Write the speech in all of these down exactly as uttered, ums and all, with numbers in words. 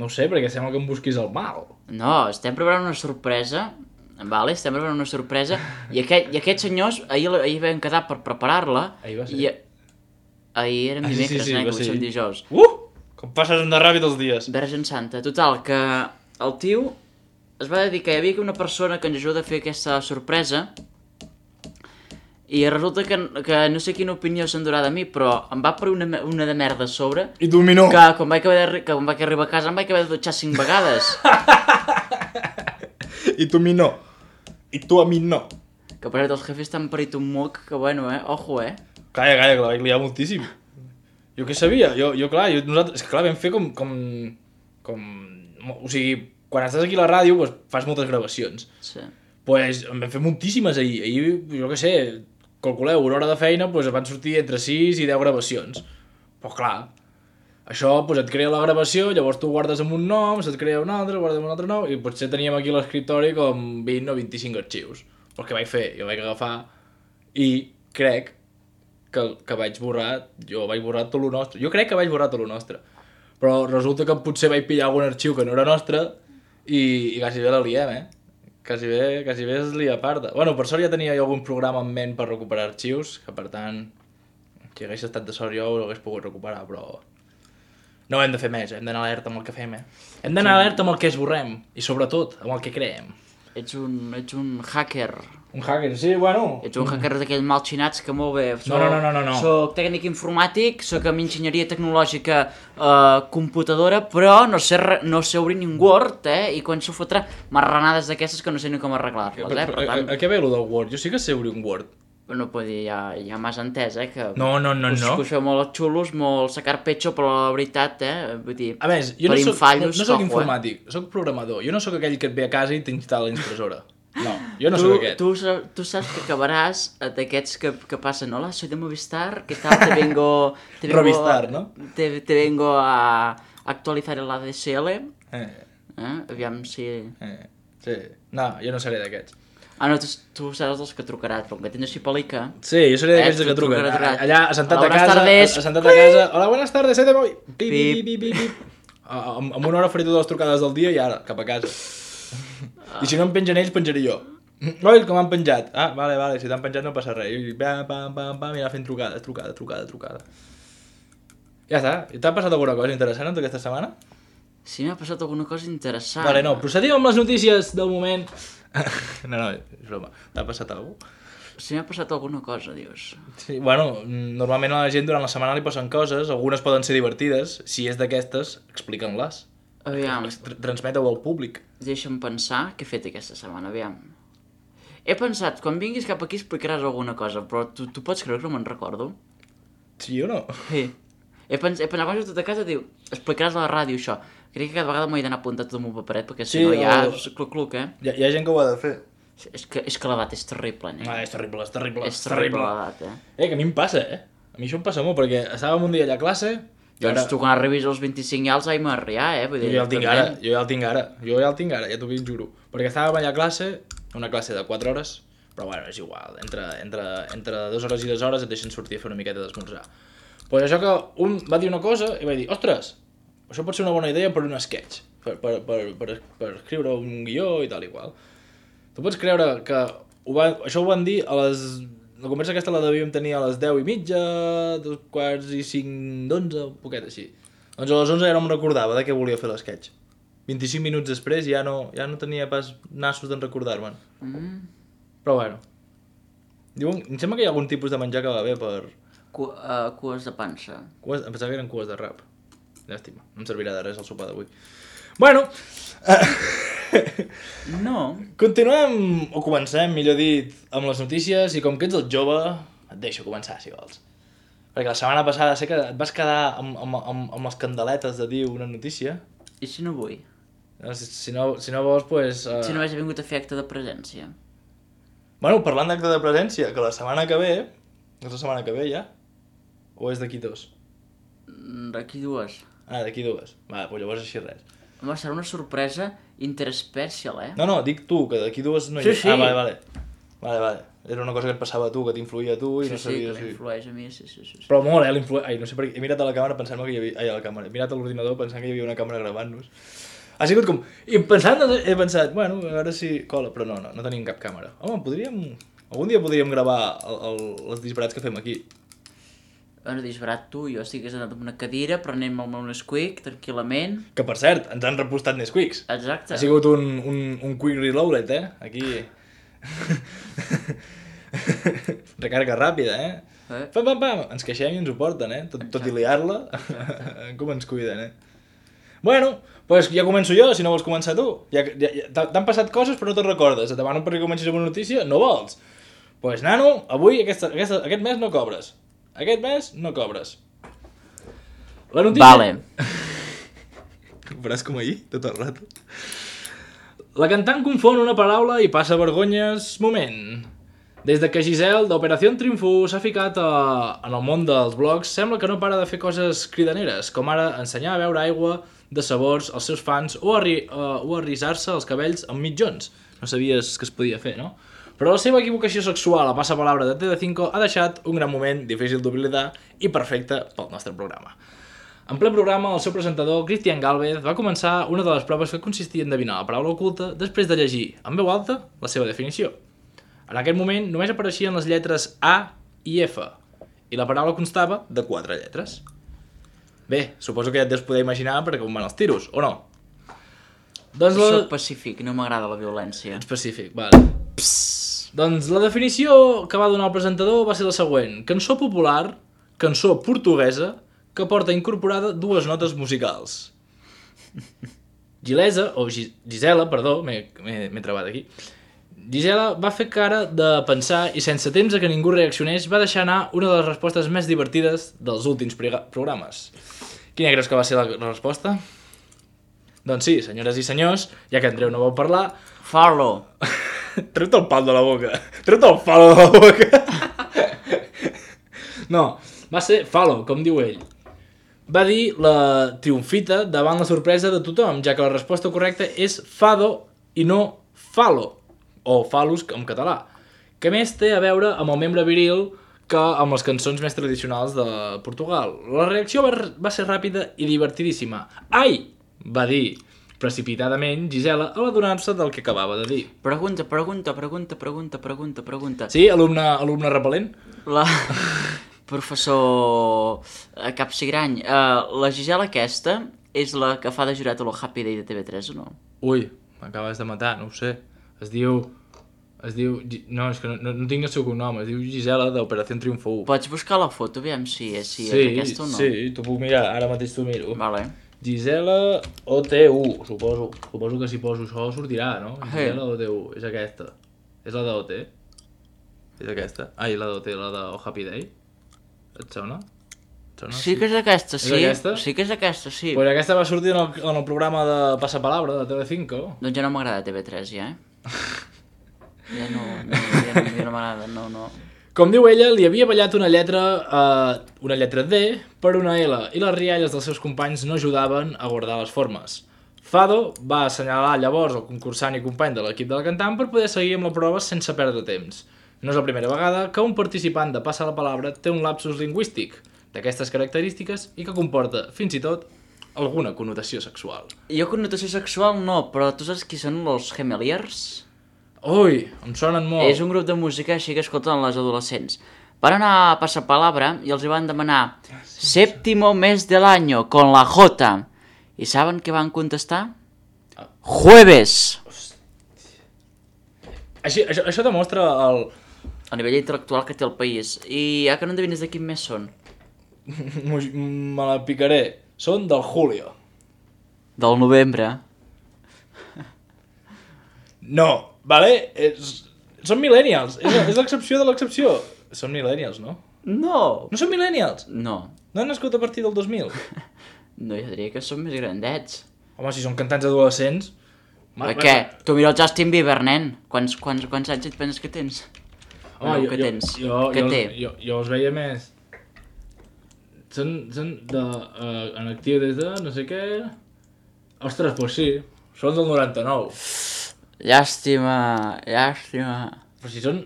No ho sé, perquè sembla que em busquis el mal. No, estem preparant una sorpresa, vale? Estem preparant una sorpresa, i, aquest, i aquests senyors, ahir, ahir vam quedar per preparar-la, Ahir va ser. i ahir era Ah, sí, dimecres, sí, sí, nen, va que avui ser. som dijous. Uh! Com passes de ràpid els dies. Verge Santa, total, que el tio es va dedicar, hi havia una persona que ens ajuda a fer aquesta sorpresa, i resulta que, que no sé quina opinió s'endurà de mi, però em va parir una, me- una de merda a sobre, I tu a mi no. que quan vaig, haver de, que quan vaig arribar a casa em vaig haver de dutxar cinc vegades. I tu a mi no. I tu a mi no. Que per cert, els jefes t'han parit un moc, que bueno, eh? Ojo, eh? Calla, calla, que la vaig liar moltíssim. Jo què sabia? Jo, jo clar, jo, nosaltres, és que clar, vam fer com, com, com... O sigui, quan estàs aquí a la ràdio, doncs, fas moltes gravacions. Sí. Pues en vam fer moltíssimes ahir. Ahir, jo què sé, calculeu, una hora de feina, doncs van sortir entre sis i deu gravacions. Però clar, això doncs, et crea la gravació, llavors tu guardes amb un nom, se't crea un altre, guardes amb un altre nom, i potser teníem aquí a l'escriptori com vint o vint-i-cinc arxius. Però què vaig fer? Jo vaig agafar i crec que, que vaig borrar, jo vaig borrar tot lo nostre. Jo crec que vaig borrar tot lo nostre. Però resulta que potser vaig pillar algun arxiu que no era nostre i, i quasi bé la liem, eh? Quasi bé, quasi bé es lia parda. Bueno, per sort ja tenia jo algun programa en ment per recuperar arxius, que per tant, si hagués estat de sort jo ho hagués pogut recuperar, però... No hem de fer més, hem d'anar alerta amb el que fem, eh? Hem d'anar alerta amb el que esborrem, i sobretot amb el que creem. Ets un, ets un hacker. Un hacker, sí, bueno... Ets un hacker d'aquells malxinats que molt bé... Soc, No, no, no, no, no. Soc tècnic informàtic, soc amb enginyeria tecnològica eh, computadora, però no sé, re- no sé obrir ni un Word, eh? I quan s'ho fotrà marranades d'aquestes que no sé ni com arreglar-les, eh? Per a, a, tant, a què ve lo del Word? Jo sí que sé obrir un Word. no puc dir, ja, ja m'has entès, eh? Que No, no, no, us, no. que us feu molt xulos, molt sacar pecho, però la veritat, eh? Vull dir, A més, jo no per soc, no, infallos, no soc ojo, eh? informàtic, soc programador. Jo no sóc aquell que et ve a casa i t'instal·la la impressora. No, jo no tu, sóc aquest. tu, sa- tu saps que acabaràs eh, d'aquests que, que passen, hola, soy de Movistar, ¿qué tal? Te vengo... Te vengo Rovistar, ¿no? Te, te vengo a actualizar el A D S L, Eh, eh? Aviam si... eh, sí. No, jo no seré d'aquests. Ah, no, tu, tu seràs dels que trucaràs, però com que tens així pel·lica... Sí, jo seré d'aquells Eh, que tu truquen. trucaràs, trucaràs. Allà, assentat Hola, a buenas casa, tardes. assentat a casa. Hola, buenas tardes, set de moi. Pip, Pip. pip, pip, pip, pip. Ah, Amb, amb una hora faré totes les trucades del dia i ara, cap a casa. I si no em pengen ells, penjaré jo. Oi, que m'han penjat. Ah, vale, vale, si t'han penjat no passa res. I pam, pam, pam, pam, i anar fent trucades, trucada, trucada, trucada. Ja està. I t'ha passat alguna cosa interessant en aquesta setmana? Si m'ha passat alguna cosa interessant... Vale, no, procedim amb les notícies del moment. No, no, és broma. T'ha passat alguna cosa? Si m'ha passat alguna cosa, dius. Sí, bueno, normalment a la gent durant la setmana li passen coses, algunes poden ser divertides, si és d'aquestes, expliquen-les. Aviam, Tr- Transmeta-ho al públic. deixa'm pensar què he fet aquesta setmana, aviam. He pensat, quan vinguis cap aquí explicaràs alguna cosa, però tu, tu pots creure que no me'n recordo? Sí o no? Sí. He, pens, he pensat, quan he tot a casa, diu, explicaràs a la ràdio això. Crec que cada vegada m'ho he d'anar apuntat tot amb un paperet, perquè si Sí, no ja o- és cluc-cluc, eh? Hi ha, hi ha gent que ho ha de fer. És que, és que l'edat és terrible, nen. Ah, és terrible, és terrible, és terrible l'edat, eh? Eh, que a mi em passa, eh? A mi això em passa molt, perquè estàvem un dia allà a classe... i Doncs ara- tu quan arribis als vint-i-cinc ja els haig m'arriar, eh? Vull Jo dir, ja el tinc ara, jo ja el tinc ara, jo ja el tinc ara, ja t'ho ben juro. Perquè estàvem allà a classe, una classe de quatre hores, però bueno, és igual, entre, entre, entre dues hores i dues hores et deixen sortir a fer una miqueta d'esmorzar. Pues això que un va dir una cosa i va dir, ostres, això pot ser una bona idea per un sketch, per, per, per, per, per escriure un guió i tal i qual. Tu pots creure que ho va, això ho van dir a les... La conversa aquesta la devíem tenir a les deu i mitja, dos quarts i cinc d'onze, un poquet així. Doncs a les onze ja no em recordava de què volia fer l'esquetx. vint-i-cinc minuts després ja no, ja no tenia pas nassos d'en recordar-me'n. Mm. Però bueno. Diuen, em sembla que hi ha algun tipus de menjar que va bé per... Cu uh, cues de pansa. Cues, em pensava que eren cues de rap. Llàstima, no em servirà de res el sopar d'avui. Bueno, No. continuem, o comencem, millor dit, amb les notícies, i com que ets el jove, et deixo començar, si vols. Perquè la setmana passada sé que et vas quedar amb, amb, amb, amb les candeletes de dir una notícia. I si no vull? No, Si, si, no, si no vols, pues... Uh... Si no hagués vingut a fer acte de presència. Bueno, parlant d'acte de presència, que la setmana que ve... És la setmana que ve, ja? O és d'aquí dos? Mm, D'aquí dues. Ah, d'aquí dues. Va, doncs llavors així res. Home, serà una sorpresa interespecial, eh? No, no, dic tu, que d'aquí dues no hi Sí, ha... sí. Ah, vale, vale. Vale, vale. Era una cosa que et passava a tu, que t'influïa a tu i Sí, no sí, sabies... que m'influeix a mi, sí, sí, sí. Però molt, eh, l'influ... Ai, no sé per què. He mirat a la càmera pensant que hi havia... Ai, a la càmera. He mirat a l'ordinador pensant que hi havia una càmera gravant-nos. Ha sigut com... I pensant, he pensat, bueno, a veure si cola, però no, no, no tenim cap càmera. Home, podríem... Algun dia podríem gravar el, el, els disbarats que fem aquí. Bueno, disbarat tu, jo estic assentat en una cadira, prenent-me el meu Nesquik, tranquil·lament. Que, per cert, ens han repostat Nesquiks. Exacte. Ha sigut un, un, un quick reloaded, eh? Aquí... Recarga ràpida, eh? eh? Pam, pam, pam! Ens queixem i ens ho porten, eh? Tot, tot i liar-la, com ens cuiden, eh? Bueno, doncs ja començo jo, si no vols començar tu. Ja, ja, ja, T'han passat coses però no te'n recordes. Et demano perquè comencis amb una notícia, no vols. Doncs, pues, nano, avui, aquesta, aquesta, aquest mes no cobres. Aquest mes no cobres. La notícia... Vale. Ho faràs com ahir, tot el rato. La cantant confon una paraula i passa vergonyes moment. Des de que Giselle, d'Operació Triunfo, s'ha ficat a... en el món dels blogs, sembla que no para de fer coses cridaneres, com ara ensenyar a beure aigua de sabors als seus fans o, arri... uh, o arrisar-se els cabells amb mitjons. No sabies que es podia fer, no? Però la seva equivocació sexual a passapalabra de T V cinco ha deixat un gran moment difícil d'oblidar i perfecte pel nostre programa. En ple programa, el seu presentador, Cristian Galvez, va començar una de les proves que consistia en endevinar la paraula oculta després de llegir, en veu alta, la seva definició. En aquest moment només apareixien les lletres A i F, i la paraula constava de quatre lletres. Bé, suposo que ja et deus poder imaginar per com van els tiros, o no? Doncs la... Soc pacífic, no m'agrada la violència. Ets pacífic, vale. Psst. Doncs la definició que va donar el presentador va ser la següent. Cançó popular, cançó portuguesa, que porta incorporada dues notes musicals. Gilesa, o Gis Gisela, perdó, m'he trebat aquí. Gisela va fer cara de pensar i sense temps a que ningú reaccionés va deixar anar una de les respostes més divertides dels últims programes. Quina creus que va ser la, la resposta? Doncs sí, senyores i senyors, ja que Andreu no vol parlar... Falo. Treu-te el pal de la boca. Treu-te el falo de la boca. No, va ser falo, com diu ell. Va dir la triomfita davant la sorpresa de tothom, ja que la resposta correcta és fado i no falo, o falus en català, que més té a veure amb el membre viril que amb les cançons més tradicionals de Portugal. La reacció va, va ser ràpida i divertidíssima. Ai! Va dir precipitadament Gisela a l'adonar-se del que acabava de dir. Pregunta, pregunta, pregunta, pregunta, pregunta, pregunta. Sí, alumne, alumne repel·lent? La... Professor Capsigrany, uh, la Gisela aquesta és la que fa de jurat a lo Happy Day de T V tres o no? Ui, m'acabes de matar, no ho sé. Es diu... Es diu... No, és que no, no, no tinc el seu cognom. Es diu Gisela d'Operació Triunfo u. Pots buscar la foto, aviam si és, si sí, és aquesta o no? Sí, t'ho puc mirar. Ara mateix t'ho miro. Vale. Gisela O T U, suposo. Suposo que si poso això sortirà, no? Gisela O T U, és aquesta. És la d'O T? És aquesta? Ai, la d'O T, la de O Happy Day? Et sona? Et sona? Sí que és aquesta, sí. És aquesta? Sí que és aquesta, sí. Pues aquesta va sortir en el, en el programa de Passapalabra de T V cinco. Doncs ja no m'agrada T V tres, ja, eh? Ja no, no, ja no, ja no m'agrada, no, no. Com diu ella, li havia ballat una lletra, uh, una lletra D per una L i les rialles dels seus companys no ajudaven a guardar les formes. Fado va assenyalar llavors el concursant i company de l'equip de la cantant per poder seguir amb la prova sense perdre temps. No és la primera vegada que un participant de Passa la Palabra té un lapsus lingüístic d'aquestes característiques i que comporta, fins i tot, alguna connotació sexual. Jo connotació sexual no, però tu saps qui són els Gemeliers? Ui, em sonen molt. És un grup de música així que escolten les adolescents. Van anar a Passapalabra i els van demanar séptimo mes del año con la J. I saben què van contestar? Jueves. Així, això, això demostra el... El nivell intel·lectual que té el país. I ja que no endevines de quin mes són? Me la picaré. Són del Julio. Del novembre. No, vale? És... Són millennials. És, és l'excepció de l'excepció. Són millennials, no? No. No són millennials? No. No han nascut a partir del dos mil? No, jo diria que són més grandets. Home, si són cantants adolescents... Per què? Tu mira el Justin Bieber, nen. Quants, quants, quants anys et penses que tens? Home, no, jo, que jo, tens? jo, Què jo, té? Jo, jo els veia més... Són, són de, uh, en actiu des de no sé què... Ostres, doncs sí, són del noranta-nou. Llàstima, llàstima. Però si són...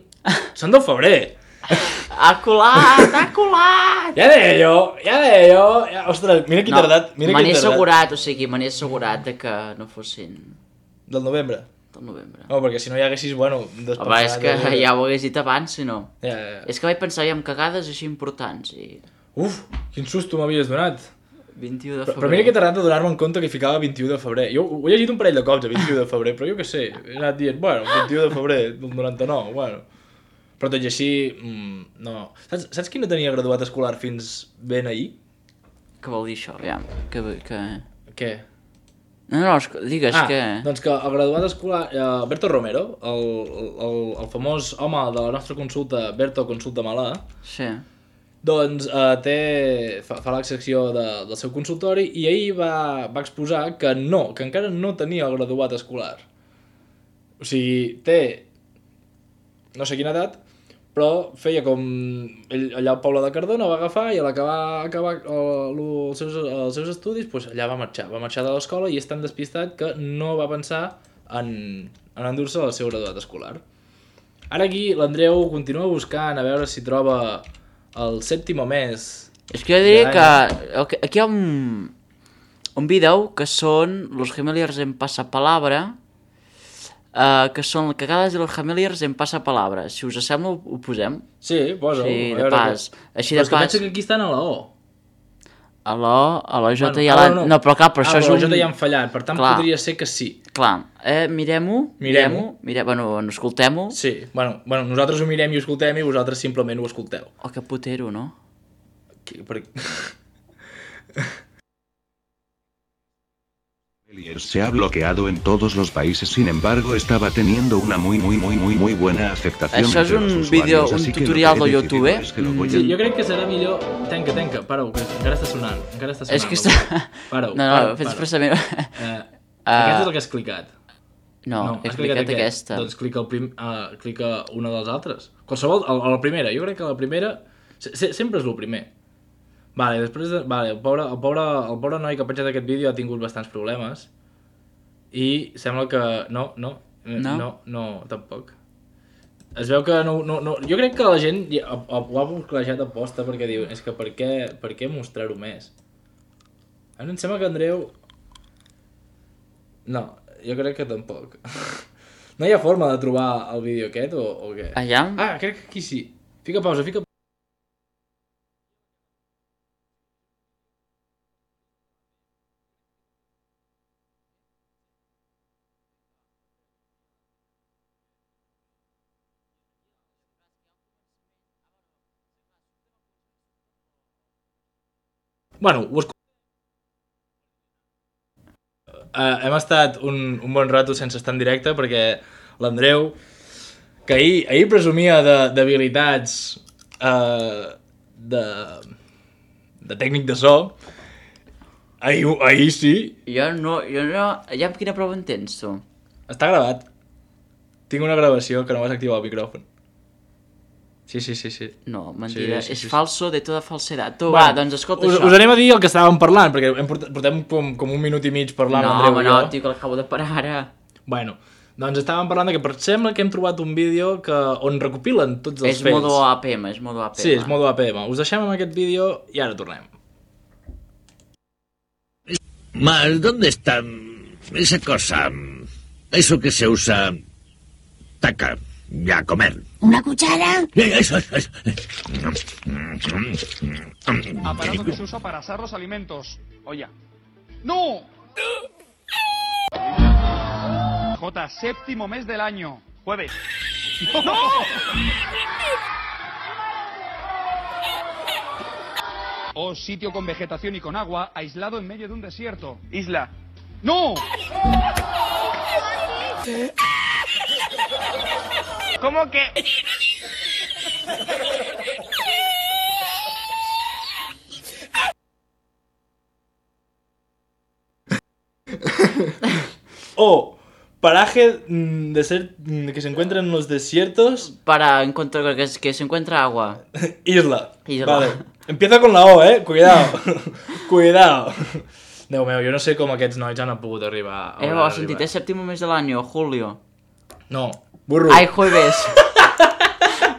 Són del febrer. Ha colat, ha colat! Ja deia jo, ja deia jo... Ja, ostres, mira qui no, tardat, mira me qui n'he tardat. assegurat, o sigui, me n'he assegurat de que no fossin... Del novembre? Del novembre. No, perquè si no hi haguessis, bueno... Home, és que de... ja ho hagués dit abans, si no. Ja, ja, ja. És que vaig pensar ja en cagades així importants i... Uf, quin susto m'havies donat. vint-i-u de Però, febrer. però mira que t'ha de donar-me en compte que hi ficava vint-i-u de febrer. Jo ho he llegit un parell de cops, a vint-i-u de febrer, però jo què sé, he anat dient, bueno, vint-i-u de febrer del noranta-nou, bueno... Però tot i així, mmm, no... Saps, saps qui no tenia graduat escolar fins ben ahir? Què vol dir això? Ja, que... que... Què? No, no, digues ah, que... doncs que el graduat escolar, eh, Berto Romero, el, el, el famós home de la nostra consulta, Berto Consulta Malà, sí. doncs eh, té, fa, fa la secció de, del seu consultori i ahir va, va exposar que no, que encara no tenia el graduat escolar. O sigui, té no sé quina edat, però feia com... Ell, allà al poble de Cardona va agafar i a l'acabar acabar el, els, seus, els seus estudis, doncs allà va marxar. Va marxar de l'escola i és tan despistat que no va pensar en, en endur-se el seu graduat escolar. Ara aquí l'Andreu continua buscant a veure si troba el sèptim o més. És que jo diria que aquí hi ha un, un vídeo que són los Gemeliers en Passapalabra, Uh, que són cagades i los Gemeliers en Passapalabra. Si us sembla, ho, ho posem. Sí, posa-ho. Sí, de pas. Que... Així però de és que pas... pensa que aquí estan a la O. A la O, a la J bueno, ja l'han... No, no, però clar, per ah, això és un... a la J ja han fallat, per tant clar. Podria ser que sí. Clar, eh, mirem-ho, mirem-ho, mirem bueno, escoltem-ho. Sí, bueno, bueno, nosaltres ho mirem i ho escoltem i vosaltres simplement ho escolteu. Oh, que putero, no? Que, per... Se ha bloqueado en todos los países, sin embargo estaba teniendo una muy muy muy muy muy buena aceptación. Això és un vídeo, un tutorial de YouTube, eh? Es que mm. Sí, jo crec que serà millor... Tenca, tenca, para-ho, que encara està sonant, encara està sonant. És que està... Para-ho, no, no, para-ho, fes para-ho. expressament... Uh, uh, aquesta és el que has clicat. No, no he clicat, clicat aquesta. Doncs clica, el prim... uh, clica una de les altres. Qualsevol, a la primera, jo crec que la primera... Se sempre és el primer. Vale, després de... Vale, el pobre, el, pobre, el pobre noi que ha penjat aquest vídeo ha tingut bastants problemes i sembla que... No, no, no, no, no tampoc. Es veu que no, no, no... Jo crec que la gent ho ha busclejat a posta perquè diu és que per què, per què mostrar-ho més? A mi em sembla que Andreu... No, jo crec que tampoc. No hi ha forma de trobar el vídeo aquest o, o què? Allà? Ah, crec que aquí sí. Fica pausa, fica pausa. Bueno, ho escoltem. Uh, hem estat un, un bon rato sense estar en directe perquè l'Andreu, que ahir, ahir presumia d'habilitats uh, de, de tècnic de so, ahir, ahir sí. Jo no, jo no... Ja amb quina prova en tens, tu? Està gravat. Tinc una gravació que no vas activar el micròfon. Sí, sí, sí, sí. No, mentida, sí, sí, és sí, falso de tota falsedat. Tu, bueno, va, doncs escolta us, això. Us anem a dir el que estàvem parlant, perquè hem portat, portem com, com un minut i mig parlant no, Andreu home, i jo. No, tio, que l'acabo de parar ara. Bueno, doncs estàvem parlant de que per sembla que hem trobat un vídeo que, on recopilen tots els és fets. És modo A P M, és modo A P M. Sí, és modo A P M. Us deixem amb aquest vídeo i ara tornem. Mal, ¿dónde está esa cosa? Eso que se usa... Taca, ya comer. ¿Una cuchara? Eso, eso. Aparato que se usa para asar los alimentos. Olla. ¡No! J, séptimo mes del año. Jueves. ¡No! O sitio con vegetación y con agua, aislado en medio de un desierto. Isla. ¡No! ¿Cómo que...? O paraje de ser que se encuentra en los desiertos. Para encontrar que, que se encuentra agua. Isla. Isla. Vale. Empieza con la O, eh. Cuidado. Cuidado. Déu meu, jo no sé com aquests nois han pogut arribar. Eh, ho has sentit, és sèptim mes de l'any, Julio. No, burro. Ai, jueves.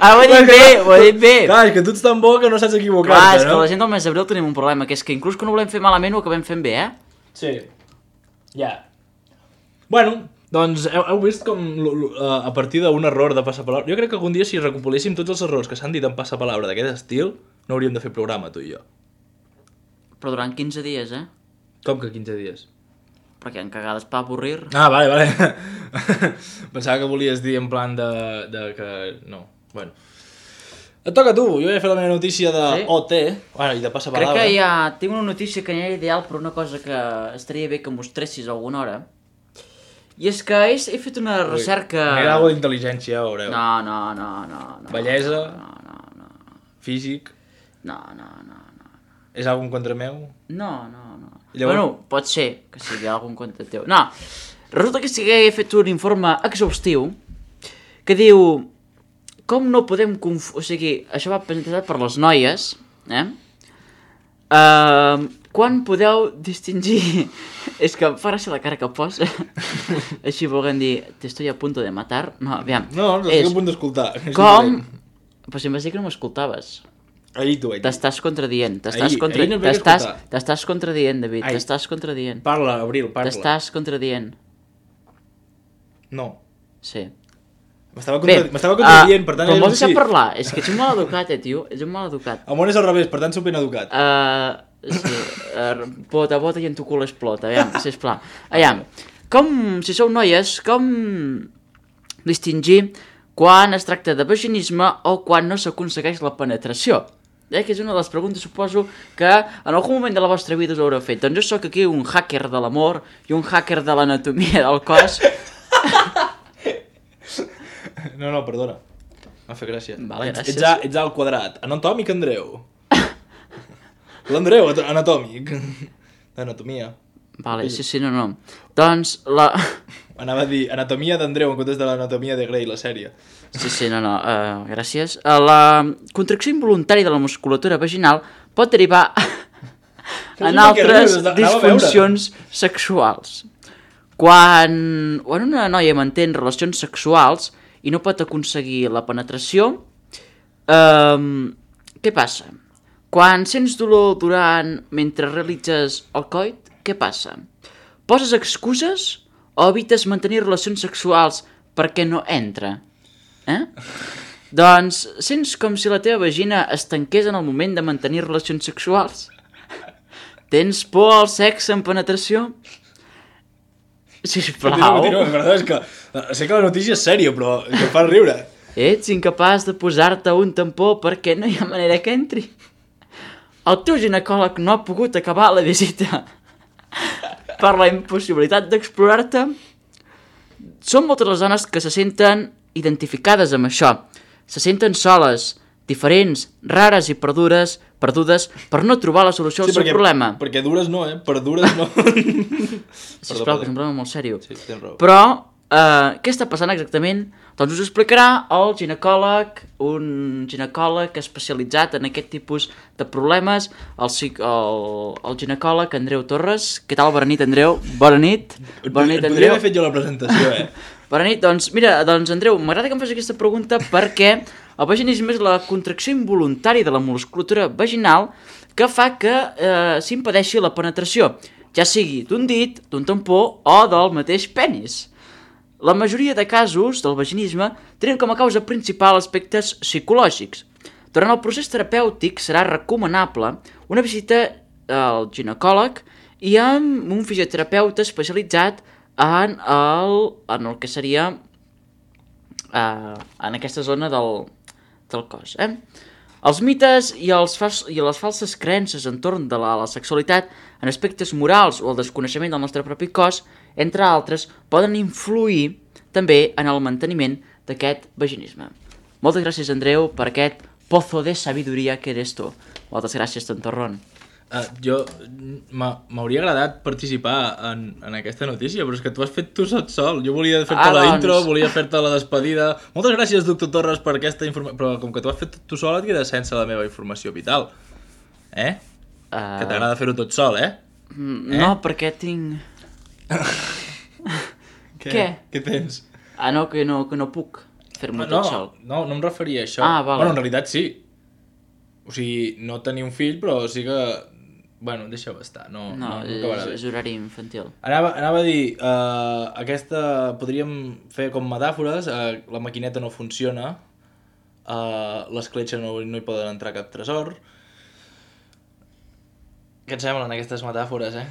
Ara ho he dit bé, ho he dit bé. Clar, és que tu ets tan bo que no saps equivocar-te, Clar, és que no? la gent del mes d'abril tenim un problema, que és que inclús que no volem fer malament ho acabem fent bé, eh? Sí. Ja. Bueno, doncs heu, heu vist com l- l- a partir d'un error de passapalabra... Jo crec que algun dia si recopiléssim tots els errors que s'han dit en passapalabra d'aquest estil, no hauríem de fer programa, tu i jo. Però durant quinze dies, eh? Com que quinze dies? Perquè en cagades per avorrir. Ah, vale, vale. Pensava que volies dir en plan de, de que... No, bueno. Et toca a tu, jo he fet la meva notícia de Sí? O T, bueno, i de Crec passapalabra. que ja tinc una notícia que ja és ideal per una cosa que estaria bé que mostressis alguna hora. I és que he, he fet una recerca... M'agrada alguna d'intel·ligència, ja ho veureu. No, no, no, no, no. Bellesa. No, no, no, Físic. no, no, no, no. És algun contra meu? No, no, no. Llavors- Bueno, pot ser que sigui algun compte teu. No, resulta que sí que he fet un informe exhaustiu que diu com no podem conf... O sigui, això va presentat per les noies, eh? Uh, quan podeu distingir... És que em fa gràcia la cara que posa. Així volguem dir, te estoy a punto de matar. No, aviam. No, no estic a punt d'escoltar. Com... Però si em vas dir que no m'escoltaves. Ahir tu, ahir. T'estàs contradient, t'estàs Ahir- contra... ahir no em vaig t'estàs escoltar. t'estàs contradient, David, Ai. t'estàs contradient. Parla, Abril, parla. T'estàs contradient. No. Sí. M'estava Bé, contra... m'estava contradient, uh, per tant... com era un vols deixar sí. parlar? És que ets un mal educat, eh, tio? Ets un mal educat. El món és al revés, per tant sóc ben educat. Uh, sí, uh, bota, bota i en tu cul explota, aviam, sisplau. Aviam, com, si sou noies, com distingir quan es tracta de vaginisme o quan no s'aconsegueix la penetració? Eh, que és una de les preguntes, suposo, que en algun moment de la vostra vida us haureu fet. Doncs jo sóc aquí un hacker de l'amor i un hacker de l'anatomia del cos. No, no, perdona. M'ha fet gràcia. Vale, Ets- gràcies. Ets, a, ets al quadrat. Anatòmic, Andreu. L'Andreu, at- anatòmic. Anatomia. Vale, sí, sí, no, no. Doncs la... Anava a dir anatomia d'Andreu en comptes de l'anatomia de Grey, la sèrie. Sí, sí, no, no, uh, gràcies. Uh, la contracció involuntària de la musculatura vaginal pot derivar Fes en una que altres rius, anava a veure. disfuncions sexuals. Quan, quan una noia manté relacions sexuals i no pot aconseguir la penetració, um, què passa? Quan sents dolor durant mentre realitzes el coit, què passa? Poses excuses o evites mantenir relacions sexuals perquè no entra? Eh? Doncs sents com si la teva vagina es tanqués en el moment de mantenir relacions sexuals? Tens por al sexe en penetració? Sisplau. Continua, continua, perdó, és que sé que la notícia és sèria, però que em fa riure. Ets incapaç de posar-te un tampó perquè no hi ha manera que entri. El teu ginecòleg no ha pogut acabar la visita per la impossibilitat d'explorar-te. Són moltes les dones que se senten identificades amb això. Se senten soles, diferents, rares i perdudes, perdudes per no trobar la solució al Sí, seu perquè, problema. perquè dures no, eh? Per dures no. Sisplau, que és un problema molt sèrio. Sí, tens raó. Però, eh, què està passant exactament? Doncs us ho explicarà el ginecòleg, un ginecòleg especialitzat en aquest tipus de problemes, el, psic- el, el ginecòleg Andreu Torres. Què tal? Bona nit, Andreu. Bona nit. Bona nit, Et podria Andreu. haver fet jo la presentació, eh? Bona nit, doncs mira, doncs Andreu, m'agrada que em facis aquesta pregunta perquè el vaginisme és la contracció involuntària de la musculatura vaginal que fa que eh, s'impedeixi la penetració, ja sigui d'un dit, d'un tampó o del mateix penis. La majoria de casos del vaginisme tenen com a causa principal aspectes psicològics. Durant el procés terapèutic serà recomanable una visita al ginecòleg i amb un fisioterapeuta especialitzat en el, en el que seria uh, en aquesta zona del, del cos. Eh? Els mites i, els fals, i les falses creences entorn de la, la sexualitat en aspectes morals o el desconeixement del nostre propi cos, entre altres, poden influir també en el manteniment d'aquest vaginisme. Moltes gràcies, Andreu, per aquest pozo de sabidoria que eres tu. Moltes gràcies, tontorrón. Uh, jo m'ha- m'hauria agradat participar en, en aquesta notícia, però és que tu has fet tu sol, sol. Jo volia fer-te Ah, la doncs. intro, volia fer-te la despedida. Moltes gràcies, doctor Torres, per aquesta informació. Però com que tu has fet tu sol, et queda sense la meva informació vital. Eh? Uh, Que t'agrada fer-ho tot sol, eh? eh? No, perquè tinc... Què? Què tens? Ah, no, que no, que no puc fer-m'ho no, tot sol. No, no em referia a això. Ah, vale. Bueno, en realitat sí. O sigui, no tenir un fill, però sí que... Bueno, deixa-ho estar, no, No, no, no és, acabarà bé. és horari infantil. Anava, anava a dir, uh, aquesta podríem fer com metàfores, uh, la maquineta no funciona, uh, l'escletxa no, no hi poden entrar cap tresor. Què et semblen aquestes metàfores, eh?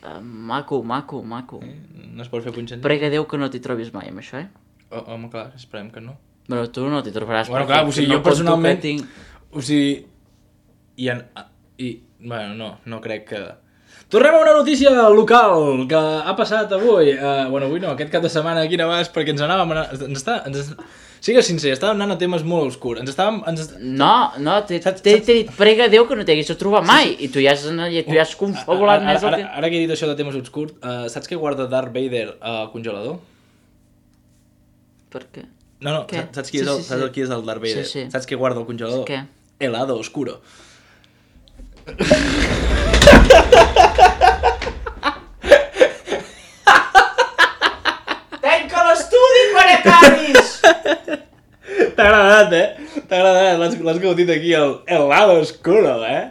Uh, maco, maco, maco. eh? No es pot fer punxent? Prega Déu que no t'hi trobis mai amb això, eh? Oh, home, clar, esperem que no. Bueno, tu no t'hi trobaràs. Bueno, perquè clar, o sigui, no jo pot personalment... tocar, tinc... O sigui... I, en, i... Bueno, no, no crec que... Tornem a una notícia local que ha passat avui. Uh, bueno, avui no, aquest cap de setmana aquí a Navàs, perquè ens anàvem... A... Ens està... Ens... Sigues sincer, estàvem anant a temes molt obscurs. Ens estàvem... Ens... No, no, t'he dit prega Déu que no t'hagués de trobar mai. I tu ja has, tu ja has confabulat ara, més el ara, que... ara que he dit això de temes obscurs, uh, saps què guarda Darth Vader al congelador? Per què? No, no, Què? saps qui és, Sí, el, sí, saps sí. qui és el Darth Vader? Sí, sí. Saps què guarda al congelador? Què? Helado oscuro. Tanca l'estudi, parecaris! T'ha agradat, eh? T'ha agradat, l'has, l'has gaudit aquí, el helado oscuro, eh?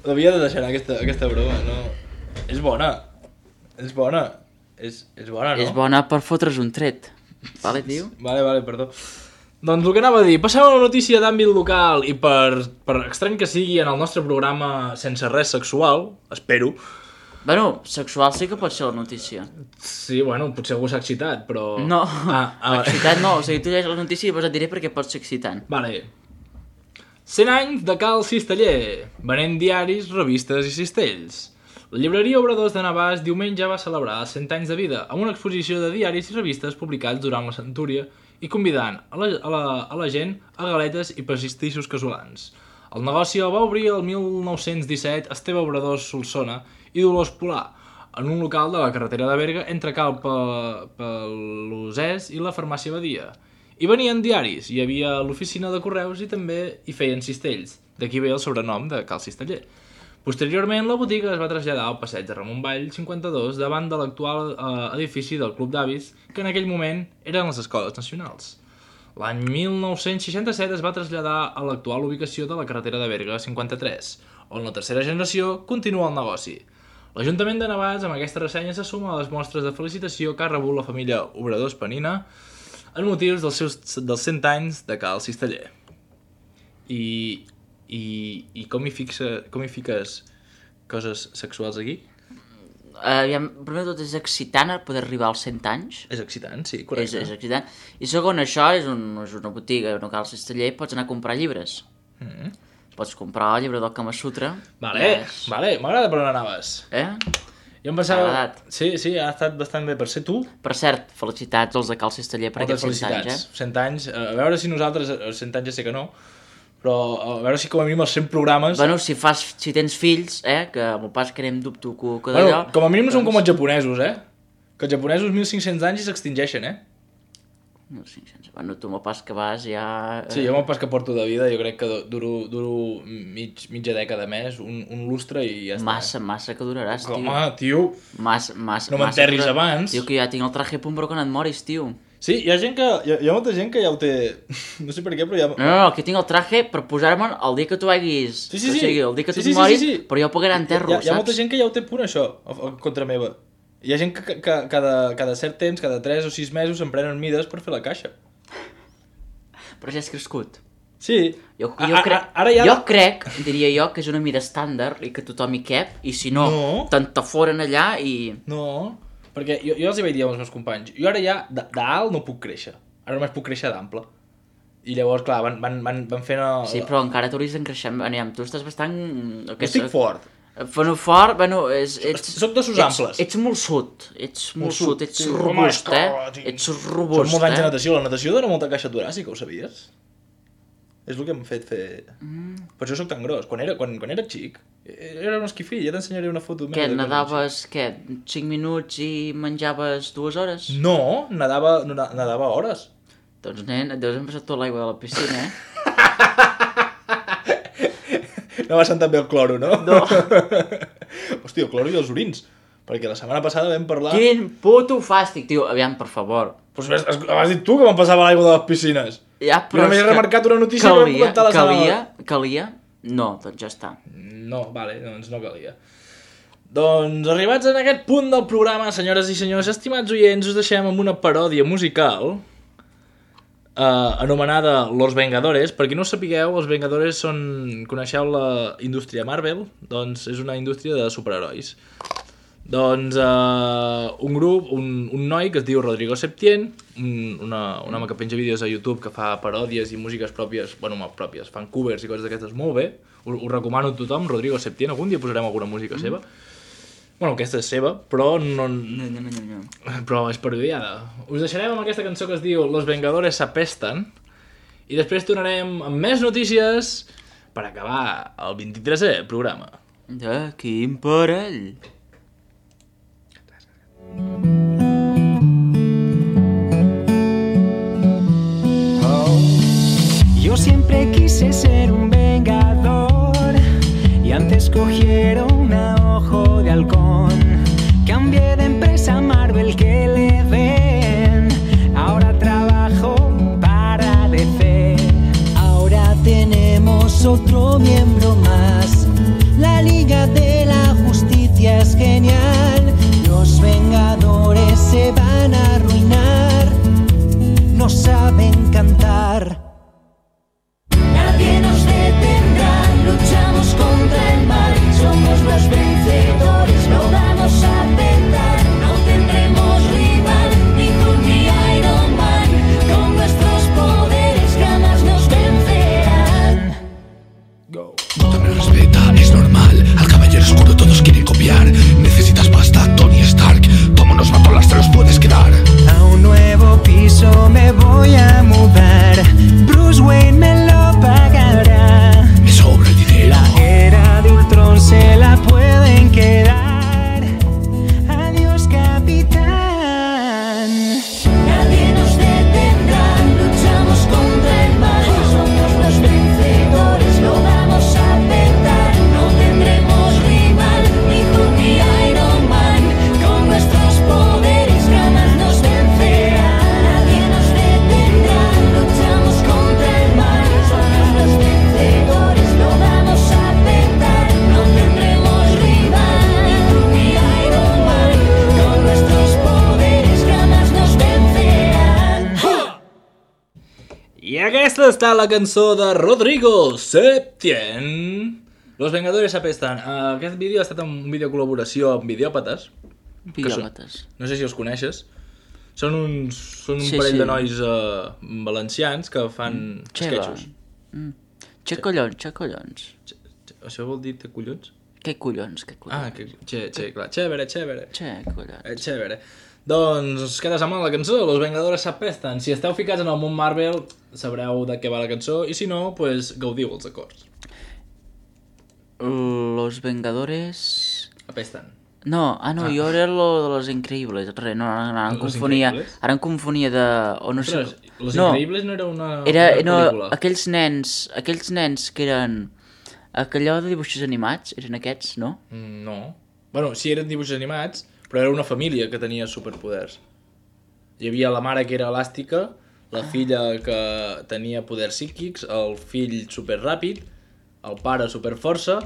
L'havia de deixar aquesta, aquesta broma, no? És bona. És bona. És, és bona, no? És bona per fotre's un tret. Vale, tio? Vale, vale, perdó. Doncs el que anava a dir, passem a una notícia d'àmbit local i per, per estrany que sigui en el nostre programa sense res sexual, espero. Bueno, sexual sí que pot ser la notícia. Sí, bueno, potser algú s'ha excitat, però... No, Ah, ah, excitat no. O sigui, tu llegeix la notícia i llavors et diré perquè pot ser excitant. Vale. cent anys de Cal Cisteller, venent diaris, revistes i cistells. La llibreria Obradors de Navàs diumenge va celebrar els cent anys de vida amb una exposició de diaris i revistes publicats durant la centúria i convidant a la, a la, a la gent a galetes i pastissos casolans. El negoci el va obrir el mil nou-cents disset Esteve Obradors Solsona i Dolors Polà, en un local de la carretera de Berga entre Cal Pelosès i la farmàcia Badia. Hi venien diaris, hi havia l'oficina de correus i també hi feien cistells, d'aquí ve el sobrenom de Cal Cisteller. Posteriorment, la botiga es va traslladar al passeig de Ramon Vall cinquanta-dos davant de l'actual eh, edifici del Club d'Avis, que en aquell moment eren les escoles nacionals. L'any mil nou-cents seixanta-set es va traslladar a l'actual ubicació de la carretera de Berga cinquanta-tres, on la tercera generació continua el negoci. L'Ajuntament de Navàs amb aquesta ressenya se suma a les mostres de felicitació que ha rebut la família Obradors Penina en motius dels seus dels cent anys de Cal Cisteller. I, i, i com, hi fixa, com hi fiques coses sexuals aquí? Uh, ja, primer de tot és excitant poder arribar als cent anys. És excitant, sí, És, correcte. és excitant. I segon, això és, un, és una botiga, no cal cisteller, pots anar a comprar llibres. Mm. Pots comprar el llibre del Kama Sutra. Vale, És... vale, m'agrada per on anaves. Eh? Jo em pensava... T'ha agradat? Sí, sí, ha estat bastant bé per ser tu. Per cert, felicitats als de Cal Cisteller per Moltes aquests cent anys, felicitats. eh? cent anys. A veure si nosaltres, als cent anys ja sé que no, però a veure si com a mínim els cent programes... Bueno, si, fas, si tens fills, eh, que amb el pas que anem dubto que, que Bueno, d'allò... com a mínim no són com doncs- els japonesos, eh? Que els japonesos mil cinc-cents anys i s'extingeixen, eh? No, cinc-cents. Bueno, tu amb el pas que vas ja... eh, Sí, jo amb el pas que porto de vida jo crec que duro, duro mig, mitja dècada més, un, un lustre i ja està. Massa, massa que duraràs, tio. Home, tio... Massa, massa, No massa m'enterris que- abans. Tio, que ja tinc el traje pumbro que no et moris, tio. Sí, hi ha gent que... Hi ha, hi ha molta gent que ja ho té... No sé per què, però ja... No, no, no, que tinc el traje per posar-me'n el dia que tu haguis... Sí, sí, O sí. sigui, el dia que Sí, tu sí, et sí, moris, sí, sí. però jo pagaré enterro, hi ha, hi ha saps? molta gent que ja ho té punt, això, a, a, contra meva. Hi ha gent que, que, que cada, cada cert temps, cada tres o sis mesos, em prenen mides per fer la caixa. Però ja has crescut. Sí. Jo, A- jo, a- crec, ara ja... jo crec, diria jo, que és una mida estàndard i que tothom hi cap, i si no, No. t'entaforen allà i... No, perquè jo, jo els hi vaig dir als meus companys, jo ara ja d- d'alt no puc créixer, ara només puc créixer d'ample. I llavors, clar, van, van, van, van fent... El... Sí, però encara t'hauries d'encreixar. Anem, tu estàs bastant... Jo estic fort. Bueno, fort, bueno, és, ets... Soc d'ossos ets, amples. Ets molt sud, ets molt, Molt sud, sud, ets sí. robust, Home, eh? sí. Ets Són robust, molts anys de eh? natació, la natació dona molta caixa toràcica, ho sabies? És el que m'ha fet fer... Mm. Per això soc tan gros. Quan era, quan, quan era xic, era un esquifí, ja t'ensenyaré una foto meva. Què, de quan era nadaves, què, cinc minuts i menjaves dues hores? xic. No, nadava, no, nadava hores. Doncs, nen, et deus empassar tota l'aigua de la piscina, eh? No va sentar bé el cloro, no? No. Hòstia, el cloro i els orins. Perquè la setmana passada vam parlar... Quin puto fàstic, tio. Aviam, per favor. Pues has, has dit tu que me'n passava l'aigua de les piscines. Ja, però jo només he remarcat una notícia calia, que vam comentar la setmana. Calia, calia? No, doncs ja està. No, vale, doncs no calia. Doncs arribats en aquest punt del programa, senyores i senyors, estimats oients, us deixem amb una paròdia musical eh, anomenada Los Vengadores. Per qui no ho sapigueu, els Vengadores són... Coneixeu la indústria Marvel? Doncs és una indústria de superherois. Doncs uh, un grup, un, un noi que es diu Rodrigo Septien, un, una, un home que penja vídeos a YouTube que fa paròdies i músiques pròpies, bueno, pròpies, fan covers i coses d'aquestes molt bé, ho, ho recomano a tothom, Rodrigo Septien, algun dia posarem alguna música seva. Bueno, aquesta és seva, però no... No, no, no, no. Però és parodiada. Us deixarem amb aquesta cançó que es diu Los Vengadores s'apesten i després tornarem amb més notícies per acabar el vint-i-tresè programa. De quin parell? Yo siempre quise ser un vengador y antes cogieron a ojo de halcón. Cambié de empresa Marvel que le ven, ahora trabajo para D C. Ahora tenemos otro miembro más, la Liga de la Justicia es genial. Los Vengadores se van a arruinar, no saben cantar. Nadie nos detendrá, luchamos contra el mal, somos los vencedores, lo vamos a petar. No tendremos rival, ni Hulk ni Iron Man, con nuestros poderes jamás nos vencerán. Go. No te me respeta, es normal, al caballero oscuro todos quieren copiar. Necesitas pasta, Tony Stark, como nos mató las te los puedes quedar. A un nuevo piso me voy a mudar, Bruce Wayne me lo pagará. Me sobra el dinero. La era de Ultron se la pueden quedar. Adiós, capitán. Nadie nos detendrá, luchamos contra el mal, somos los vencedores, lo vamos a petar. No tendremos rival, ni Hulk ni Iron Man, con nuestros poderes jamás nos vencerán. Nadie nos detendrá, luchamos contra el mal, somos los vencedores, lo vamos a petar. No tendremos rival, ni Hulk ni Iron Man, con nuestros poderes jamás nos vencerán. I aquesta està la cançó de Rodrigo Septien. Los Vengadores s'apesten. Uh, aquest vídeo ha estat un vídeo de col·laboració amb Videòpates. Videòpates. No sé si els coneixes. Són, uns, són un Sí, parell sí. de nois uh, valencians que fan Che, sketchos. Mm. Che collons, che collons. Che- che- Això vol dir te collons? Què collons, què collons? Ah, que, che, che, clar. Chévere, chévere. Che collons. Eh, chévere. Doncs es queda amb la cançó, Los Vengadores s'apesten. Si esteu ficats en el món Marvel, sabreu de què va la cançó, i si no, pues, gaudiu els acords. Los Vengadores... Apesten. No, ah no, Ah. jo era lo de Los Increïbles, res, no, no, no, ara em Los confonia, Increïbles? ara em confonia de... O no sé... Ostres, Los no, Increïbles no era una, era, una no, pel·lícula. aquells nens, aquells nens que eren... Aquellò de dibuixos animats, eren aquests, no? Mm, No. Bueno, sí, eren dibuixos animats, però era una família que tenia superpoders. Hi havia la mare que era elàstica, la filla que tenia poders psíquics, el fill superràpid, el pare superforça,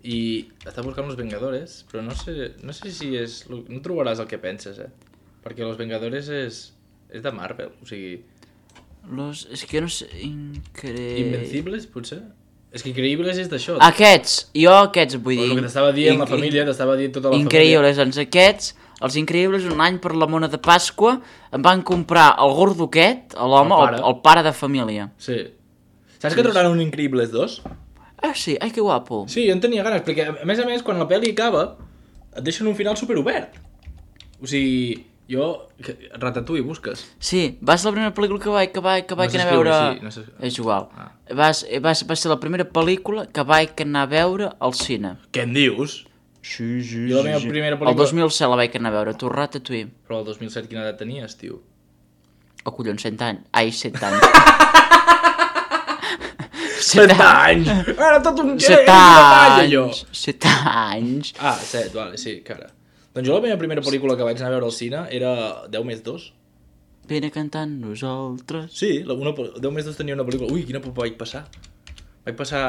i està buscant los Vengadores, però no sé, no sé si és... No trobaràs el que penses, eh? Perquè los Vengadores és, és de Marvel, o sigui... Los... És que jo no sé... Incre... Invencibles, potser? És que Increïbles és d'això. Aquests, jo aquests vull dir... El que t'estava dient la Inc- família, t'estava dient tota la Increïbles, doncs aquests, els Increïbles, un any per la mona de Pasqua, em van comprar el gordo aquest, l'home, El el, pare. el, pare de família. Sí. Saps que trobaran un Increïbles dos? Ah, sí, ai, que guapo. Sí, jo en tenia ganes, perquè a més a més, quan la pel·li acaba, et deixen un final superobert. O sigui, jo... Ratatouille busques. Sí, va ser la primera pel·lícula que vaig, que vaig, que vaig No anar a veure... s'escriu així, no s'escriu. És igual. Ah. Va, ser- va, ser- va ser la primera pel·lícula que vaig anar a veure al cine. Què en dius? Sí, sí, Jo la meva primera pel·lícula- El dos mil set la vaig anar a veure, tu Ratatouille. Però el dos mil set quina edat tenies, tio? Oh, collons, cent anys. Ai, set anys. Set anys! Era tot un... Set era un detall, allò. anys. Set anys. Ah, set, vale, sí, cara. Doncs jo la meva primera pel·lícula que vaig anar a veure al cine era deu més dos. Vine cantant nosaltres. Sí, la, una, deu més dos tenia una pel·lícula. Ui, quina por vaig passar. Vaig passar...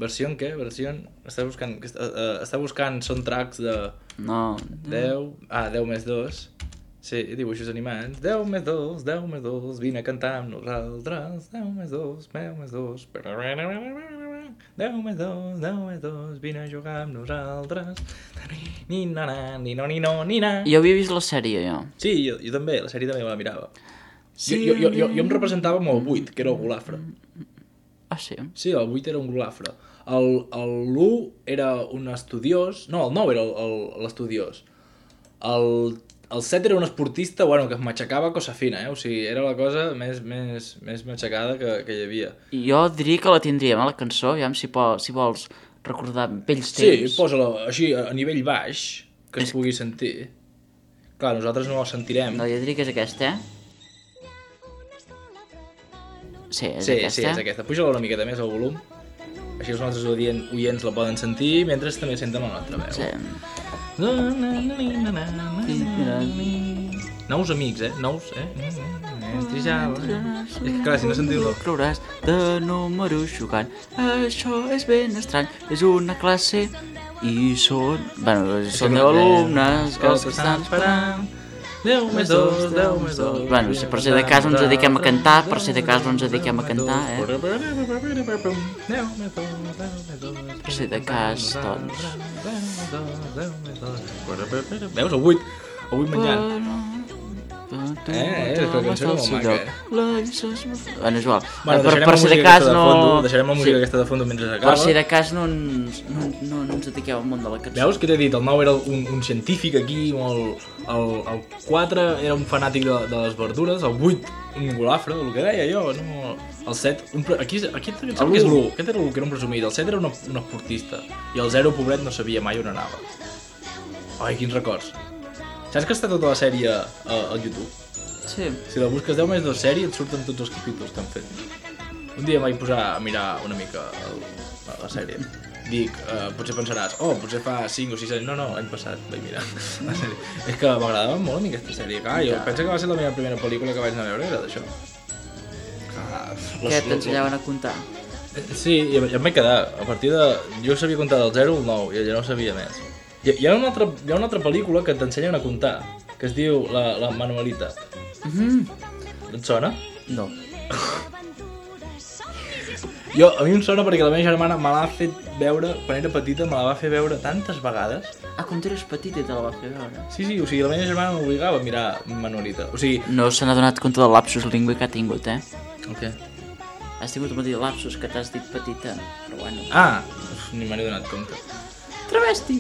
Versió en què? Versió... Està buscant, uh, està buscant soundtracks de... No. deu... Ah, deu més dos. Sí, dibuixos animats. deu més dos, deu més dos, vine a cantar amb nosaltres. deu més dos, deu més dos. deu més dos, deu més dos, vine a jugar amb nosaltres. Ni na na, ni no, ni no, ni na. Jo havia vist la sèrie, jo. Sí, jo, jo també, la sèrie també me la mirava. Sí. Jo, jo, jo, jo em representava amb el vuit, que era el golafre. Ah, sí? Sí, el vuit era un golafre. L'u era un estudiós... No, el nou era l'estudiós. El, el set era un esportista, bueno, que m'aixecava cosa fina, eh? O sigui, era la cosa més, més, més matxacada que, que hi havia. Jo diria que la tindríem, a la cançó, ja si, po, si vols recordar vells temps. Sí, posa-la així, a nivell baix, que es pugui sentir. Clar, nosaltres no la sentirem. No, jo diria que és aquesta, eh? Sí, és sí, aquesta. Sí, és aquesta. Puja-la una miqueta més al volum. Així els nostres oients, oients la poden sentir, mentre també senten la nostra veu. Sí. Nous amics, eh? Nous, eh? És que clar, si no sentiu-lo... Creuràs de número xocant. Això és ben estrany. És una classe i són... Bueno, són deu alumnes que s'estan esperant. deu més dos, deu més dos... Bueno, si per si de cas no ens dediquem a cantar, per si de cas no ens dediquem a cantar, eh? Per si de cas, doncs... Veus, el vuit, el vuit menjant. Eh, eh, és que la cançó era molt maca, eh? Bueno, és igual. Bueno, per, per si de cas no... Deixarem la música aquesta de fondo mentre s'acaba. Per si de cas no ens, no, no, no ens dediqueu al món de la cançó. Veus que t'he dit? El nou era un, un científic aquí, molt... El, el quatre era un fanàtic de, de les verdures, el vuit un golafre, el que deia jo, no... El set, un, aquí, aquí em sembla que és l'u, aquest era l'u, que era un presumit, el set era un, un esportista, i el zero, pobret, no sabia mai on anava. Ai, quins records. Saps que està tota la sèrie a, al YouTube? Sí. Si la busques deu més dos sèrie et surten tots els capítols que han fet. Un dia em vaig posar a mirar una mica el, la sèrie. Dic, uh, potser pensaràs, oh, potser fa cinc o sis anys. No, no, l'any passat vaig mirar la sèrie. És que m'agradava molt a mi aquesta sèrie. Clar, jo penso que va ser la meva primera pel·lícula que vaig anar a veure, era d'això. Què t'ensenyaven a comptar? Sí, i em vaig quedar. A partir de... Jo sabia comptar del zero al nou i ja no sabia més. Hi, hi, ha una altra, hi ha una altra pel·lícula que t'ensenyen a comptar, que es diu La, la Manuelita. Mm-hmm. Et sona? No. Jo, a mi em sona perquè la meva germana me l'ha fet veure, quan era petita, me la va fer veure tantes vegades. Ah, quan eres petit i te la va fer veure? Sí, sí, o sigui, la meva germana m'obligava a mirar Manuelita. O sigui... No se n'ha donat compte del lapsus lingüe que ha tingut, eh? El què? Has tingut un petit lapsus que t'has dit petita, però bueno. Ah, uf, ni me n'he donat compte. Travesti!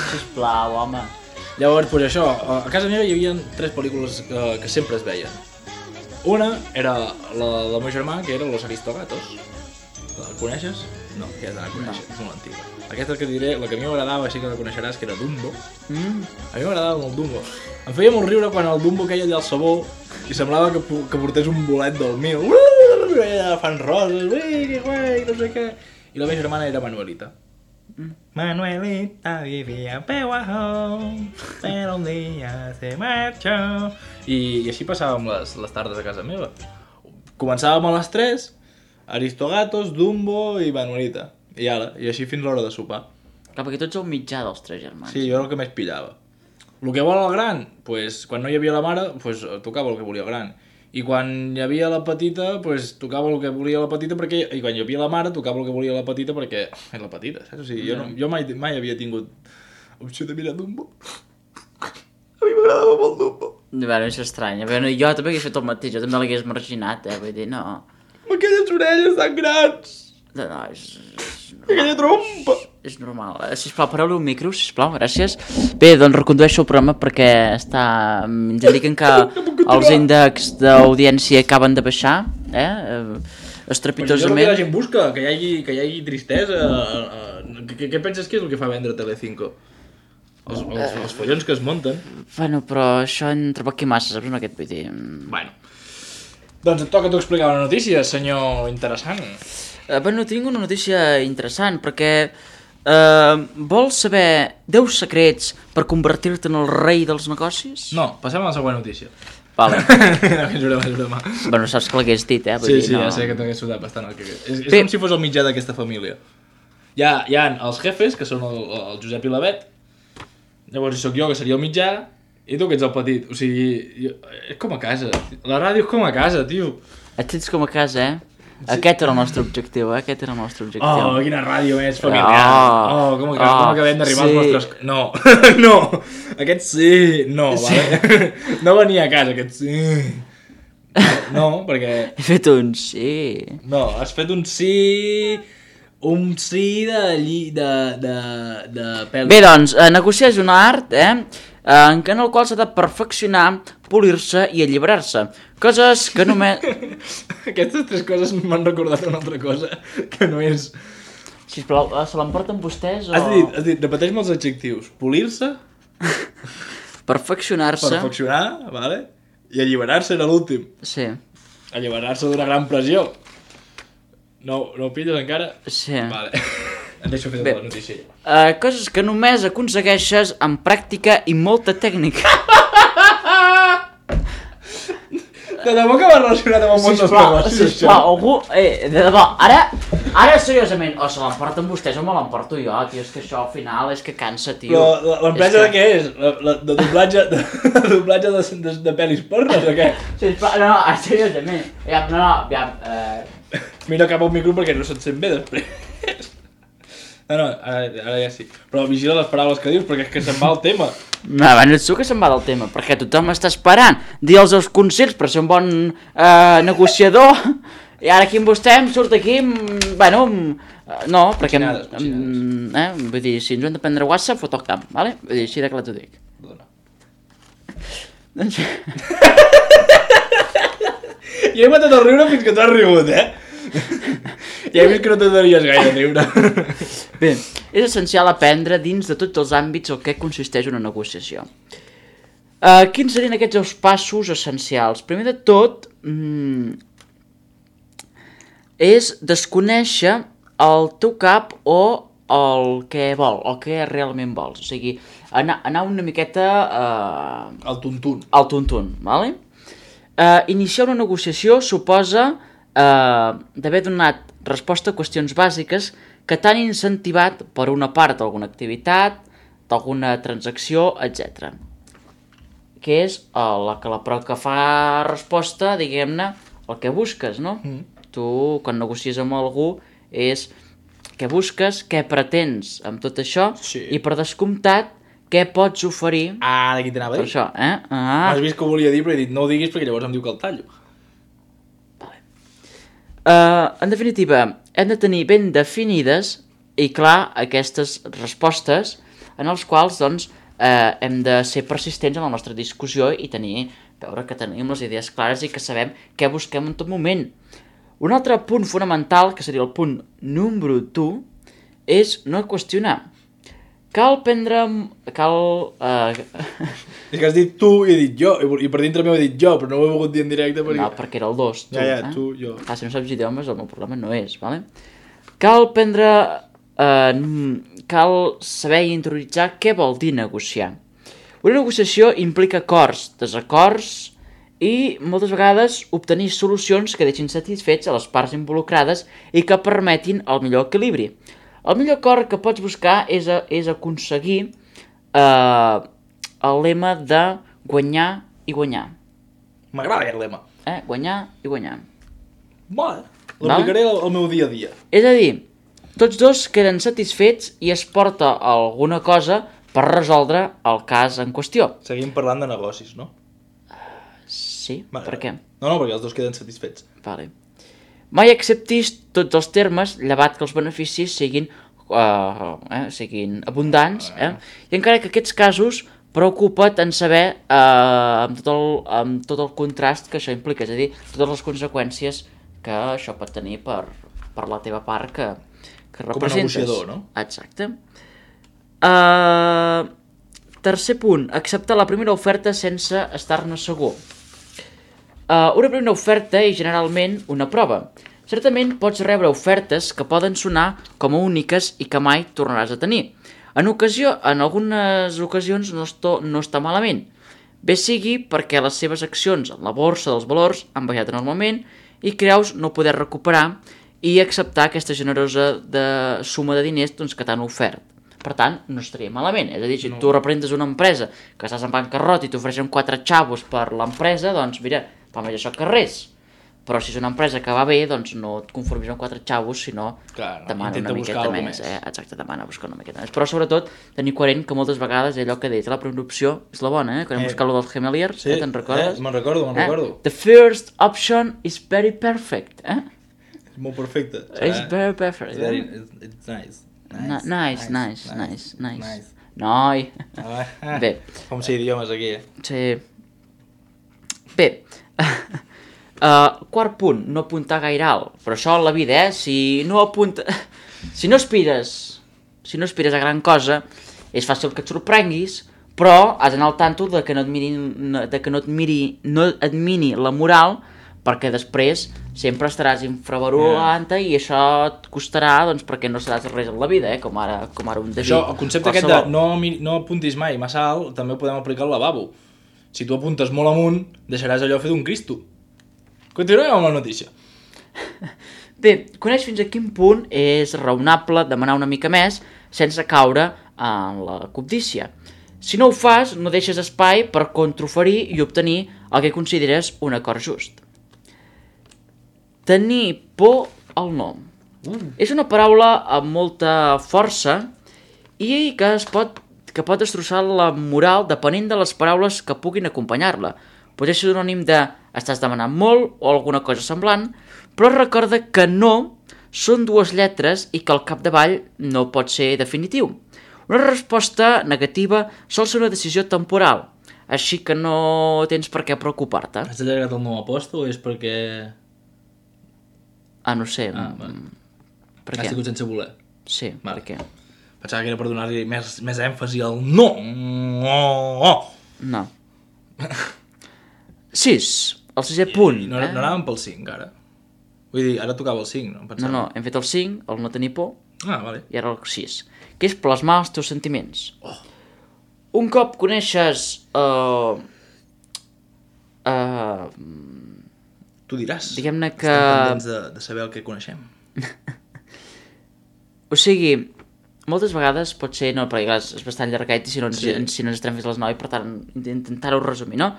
Sisplau, home. Llavors, doncs això, a casa meva hi havia tres pel·lícules que, que sempre es veien. Una era la del meu germà, que era Los Aristogatos. La coneixes? No, aquesta la coneixes, no. És molt antiga. Aquesta que diré, la que a mi m'agradava, així que la coneixeràs, que era Dumbo. Mm. A mi m'agradava molt Dumbo. Em feia molt riure quan el Dumbo queia allà al sabó i semblava que, que portés un bolet del mil. Fan roses, ui, que guai, no sé què. I la meva germana era Manuelita. Mm. Manuelita vivia peu abajo, pero un día se marchó. I, i així passàvem les, les tardes a casa meva. Començàvem a les tres, Aristogatos, Dumbo i Manuelita. I ara, i així fins l'hora de sopar. Clar, perquè tu ets el mitjà dels tres germans. Sí, jo era el que més pillava. El que vol el gran, pues, quan no hi havia la mare, pues, tocava el que volia el gran. I quan hi havia la petita, pues, tocava el que volia la petita, perquè... I quan hi havia la mare, tocava el que volia la petita, perquè és la petita, saps? O sigui, jo, no, jo mai, mai havia tingut opció de mirar Dumbo. A mi m'agradava molt Dumbo. Bueno, és estrany. Bueno, jo també hagués fet el mateix, jo també l'hagués marginat, eh? Vull dir, no... Amb aquelles orelles tan grans! No, no, és... és aquella trompa! És normal. Sisplau, pareu-li un micro, sisplau, gràcies. Bé, doncs recondueixo el programa perquè està... Ens indiquen que els índexs d'audiència acaben de baixar, eh? Estrepitosament. Però això és el que la gent busca, que hi hagi, que hi hagi tristesa. Què, què penses que és el que fa vendre Telecinco? Els, els, els follons que es munten. Bueno, però això en trobo aquí massa, saps? No, aquest vull dir... Bueno. Doncs et toca tu explicar una notícia, senyor interessant. Uh, bueno, tinc una notícia interessant, perquè Uh, vols saber deu secrets per convertir-te en el rei dels negocis? No, passem a la següent notícia. Vale. No, és broma, és broma. Bueno, saps que l'hagués dit, eh? Vull Sí, dir, sí, no... ja sé que t'hagués sudat bastant el que... És, és Bé. com si fos el mitjà d'aquesta família. Hi ha, hi ha els jefes, que són el, el Josep i la Bet, llavors hi soc jo, que seria el mitjà, i tu, que ets el petit. O sigui, jo, és com a casa. La ràdio és com a casa, tio. Et sents com a casa, eh? Sí. Aquest era el nostre objectiu, eh? Aquest era el nostre objectiu. Oh, quina ràdio més familiar. Oh, Oh, com, oh, com acabem d'arribar sí. als nostres... No, no, aquest sí, no, sí. Vale? No venia a casa, aquest sí. No, perquè... He fet un sí. No, has fet un sí... Un sí de... Lli... de... de... de pel... Bé, doncs, eh, negociar és una art, eh? En el qual s'ha de perfeccionar, polir-se i alliberar-se. Coses que només... Aquestes tres coses m'han recordat una altra cosa, que no és... Sisplau, se l'emporten vostès o...? Has dit, has dit, repeteix-me els adjectius. Polir-se, Perfeccionar-se. perfeccionar, vale? I alliberar-se era l'últim. Sí, Alliberar-se d'una gran pressió. No, no ho pilles encara? sí. Vale. Et deixo fer Bé. tota la notícia. Uh, coses que només aconsegueixes amb pràctica i molta tècnica. De debò que va relacionat amb el món dels negocis, això. Sisplau, algú... Eh, de debò, ara, ara seriosament, o se l'emporten vostès o me l'emporto jo, tio, és que això al final és que cansa, tio. Però la- l'empresa És de què és? La, la, de doblatge de, de, doblatge de, de, de pel·lis pornes o què? Sisplau, no, no, seriosament, ja, no, no, ja, eh... Mira cap al micro perquè no se't sent bé després. No, no, ara, ara ja sí. Però vigila les paraules que dius perquè és que se'n va el tema. No, bueno, ets tu que se'n va del tema, perquè tothom està esperant dir els seus consells per ser un bon eh, negociador, i ara aquí amb vostè em surt aquí, mm, bueno, mm, no, perquè... Cochinades, cochinades. Mm, eh, vull dir, si ens ho hem de prendre WhatsApp, fot el camp, vale? Vull dir, així de clar t'ho dic. Perdona. Doncs... Jo he matat el riure fins que t'has rigut, eh? Ja he vist que no t'adories gaire a riure. Bé, és essencial aprendre dins de tots els àmbits el que consisteix una negociació. Uh, quins serien aquests dos passos essencials? Primer de tot, mm, és desconèixer el teu cap o el que vol, el que realment vols. O sigui, anar, anar una miqueta uh, El tuntun. al tuntun, vale? Uh, iniciar una negociació suposa uh, d'haver donat resposta a qüestions bàsiques que t'han incentivat per una part d'alguna activitat, d'alguna transacció, etcètera. Que és uh, la que la prova que fa resposta, diguem-ne, el que busques, no? Mm. Tu, quan negocies amb algú, és què busques, què pretens amb tot això, Sí. i per descomptat, què pots oferir Ah, d'aquí t'anava a per dir. això, eh? Ah. Has vist que ho volia dir, però he dit no ho diguis perquè llavors em diu que el tallo. Uh, en definitiva, hem de tenir ben definides i clar aquestes respostes en els quals doncs, uh, hem de ser persistents en la nostra discussió i tenir, veure que tenim les idees clares i que sabem què busquem en tot moment. Un altre punt fonamental, que seria el punt número dos, és no qüestionar. Cal prendre... cal... Uh... És que has dit tu i he dit jo, i per dintre meu he dit jo, però no ho he volgut dir en directe perquè... No, perquè era el dos, tu. Ja, ja, eh? tu, jo. Ah, si no saps idiomes, el meu problema no és, vale? Cal prendre... Eh, cal saber i interioritzar què vol dir negociar. Una negociació implica acords, desacords i moltes vegades obtenir solucions que deixin satisfets a les parts involucrades i que permetin el millor equilibri. El millor acord que pots buscar és, a, és aconseguir eh, el lema de guanyar i guanyar. M'agrada aquest lema. Eh? Guanyar i guanyar. Vale, l'aplicaré al, al meu dia a dia. És a dir, tots dos queden satisfets i es porta alguna cosa per resoldre el cas en qüestió. Seguim parlant de negocis, no? Sí? Vale, Per què? No, no, perquè els dos queden satisfets. Vale. Mai acceptis tots els termes, llevat que els beneficis siguin, uh, eh, siguin abundants, eh? I encara que aquests casos preocupa't en saber uh, amb, tot el, amb tot el contrast que això implica, és a dir, totes les conseqüències que això pot tenir per, per la teva part que, que representes. Com a negociador, no? Exacte. Uh, tercer punt, acceptar la primera oferta sense estar-ne segur. Uh, una primera oferta és generalment una prova. certament pots rebre ofertes que poden sonar com a úniques i que mai tornaràs a tenir. En, ocasió, en algunes ocasions no, esto, no està malament. Bé sigui perquè les seves accions en la borsa dels valors han baixat enormement i creus no poder recuperar i acceptar aquesta generosa de suma de diners doncs, que t'han ofert. Per tant, no estaria malament. És a dir, si no. tu representes una empresa que estàs en bancarrota i t'ofereixen quatre xavos per l'empresa, doncs mira, fa més això que res. Però si és una empresa que va bé, doncs no et conformis amb quatre xavos, sinó Clar, no. demana Intenta una miqueta més. més. Eh? Exacte, demana buscar una miqueta més. Però sobretot, tenir coherent que moltes vegades allò que deies, la primera opció és la bona, eh? Quan hem Eh. buscat lo dels Gemeliers, Sí, eh? te'n recordes? eh? me'n recordo, me'n eh? recordo. The first option is very perfect, eh? És molt perfecte. It's very perfect. It's, very, eh? it's, it's nice. Nice, nice, nice, nice, nice. nice. Noi. Ah, Bé. Com si idiomes aquí, eh? Sí. Bé. uh, quart punt, no apuntar gaire alt. Però això en la vida, eh? Si no apunta... Si no aspires... Si no aspires a gran cosa, és fàcil que et sorprenguis, però has d'anar al tanto de que no et miri, de que no et miri, no et mini la moral, perquè després sempre estaràs infravalolant yeah. i això et costarà, doncs, perquè no seràs res en la vida, eh? com, ara, com ara un David. Això, el concepte aquest de no, no apuntis mai massa alt, també ho podem aplicar al lavabo. Si tu apuntes molt amunt, deixaràs allò fet un Cristo. Continuem amb la notícia. Bé, coneix fins a quin punt és raonable demanar una mica més sense caure en la cobdícia. Si no ho fas, no deixes espai per contraoferir i obtenir el que consideres un acord just. Tenir por al nom. Uh. És una paraula amb molta força i que, es pot, que pot destrossar la moral depenent de les paraules que puguin acompanyar-la. Pot ser sinònim de estàs demanant molt o alguna cosa semblant, però recorda que no són dues lletres i que al capdavall no pot ser definitiu. Una resposta negativa sol ser una decisió temporal, així que no tens per què preocupar-te. Has allargat el nou aposto o és perquè... Ah, no sé. Ah, va. Per Has què? tingut sense voler. Sí, Vale. per què? Pensava que era per donar-li més, més èmfasi al no. Oh. No. Sis, el sisè punt. No, eh? no anàvem pel cinc, ara. Vull dir, ara tocava el cinc, no? No, Pensava. no, hem fet el cinc, el no tenir por, Ah, vale. i ara el sis, que és plasmar els teus sentiments. Oh. Un cop coneixes... Uh, uh, Tu diràs. Diguem-ne que... Estem pendents de, de saber el que coneixem. O sigui, moltes vegades pot ser... No, perquè clar, és bastant llargat i si no ens, Sí. si no ens estarem fins a les nou, per tant, intentar-ho resumir, no?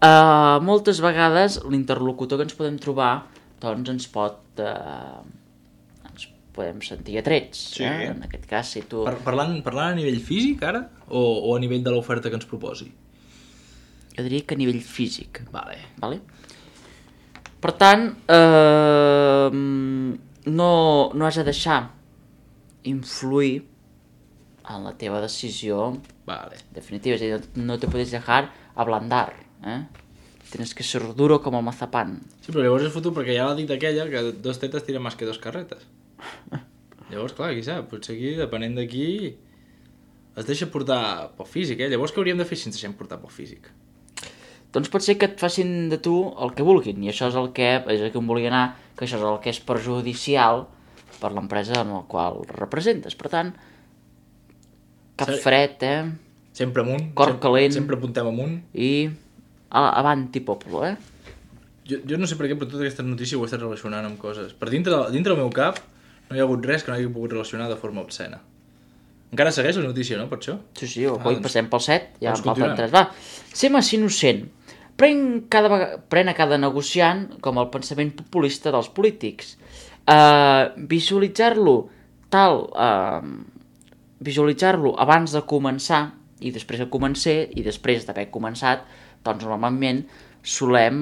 Uh, moltes vegades l'interlocutor que ens podem trobar doncs ens pot... Uh, ens podem sentir atrets. Sí. Eh? En aquest cas, si tu... Par parlant, parlant a nivell físic, ara? O, o a nivell de l'oferta que ens proposi? Jo diria que a nivell físic. Vale. Vale? Per tant, eh, no, no has de deixar influir en la teva decisió Vale. definitiva. És a dir, no te puedes dejar ablandar. Eh? Tienes que ser duro com el mazapán. Sí, però llavors és foto perquè ja l'ha dit aquella que dos tetes tira més que dos carretes. Llavors, clar, qui sap, potser aquí, depenent d'aquí, es deixa portar pel físic, eh? Llavors què hauríem de fer si ens deixem portar pel físic? Doncs pot ser que et facin de tu el que vulguin, i això és el que, és el que em volia anar, que això és el que és perjudicial per l'empresa en la qual representes. Per tant, cap Sí. fred, eh? Sempre amunt. Cor sempre, calent. Sempre apuntem amunt. I a- avanti popolo, eh? Jo, jo no sé per què, però tota aquesta notícia ho he estat relacionant amb coses. Per dintre, dintre del meu cap no hi ha hagut res que no hagi pogut relacionar de forma obscena. Encara segueix la notícia, no, per això? Sí, sí, avui Ah, doncs- passem pel set, ja en doncs falten continuem. tres. Va, ser massa innocent. Pren, cada vega... Pren a cada negociant com el pensament populista dels polítics. Uh, visualitzar-lo tal... Uh, visualitzar-lo abans de començar i després de començar i després d'haver començat, doncs normalment solem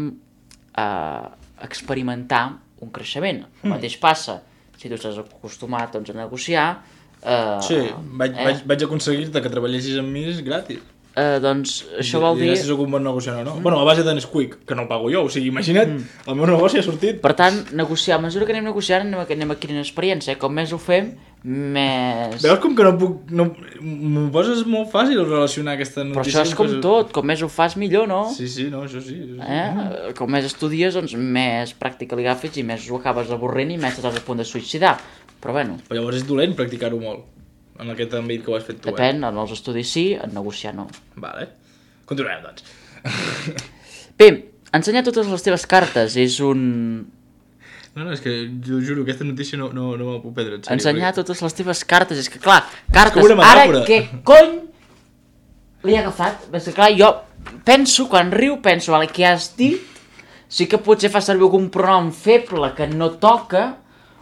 uh, experimentar un creixement. El Mm. mateix passa si tu estàs acostumat doncs, a negociar. Uh, Sí, vaig, eh? vaig, vaig aconseguir-te que treballessis amb mi gratis. Uh, doncs això vol dir... Diràs si sóc un bon negociant o no. Mm. Bueno, a base de Nesquik, que no el pago jo. O sigui, imagina't, mm. el meu negoci ha sortit. Per tant, negociar, a mesura que anem negociant, anem, anem adquirint experiència. Com més ho fem, més... Veus com que no puc... No... M'ho poses molt fàcil relacionar aquesta notícia. Però això és com tot, com més ho fas millor, no? Sí, sí, no, això sí. Això sí. Eh? Com més estudies, doncs més pràctica li agafes i més ho acabes avorrent i més estàs a punt de suïcidar. Però bueno... Però llavors és dolent practicar-ho molt, en aquest àmbit que ho has fet tu. Depèn, eh? en els estudis sí, en negociar no. Vale. Continuem, doncs. Bé, ensenyar totes les teves cartes és un... No, no, és que jo juro, aquesta notícia no, no, no me la puc prendre en sèrio. Ensenyar perquè... totes les teves cartes, és que clar, cartes, és ara què cony li he agafat? És que clar, jo penso, quan riu, penso, vale, què has dit? Sí que potser fa servir algun pronom feble que no toca,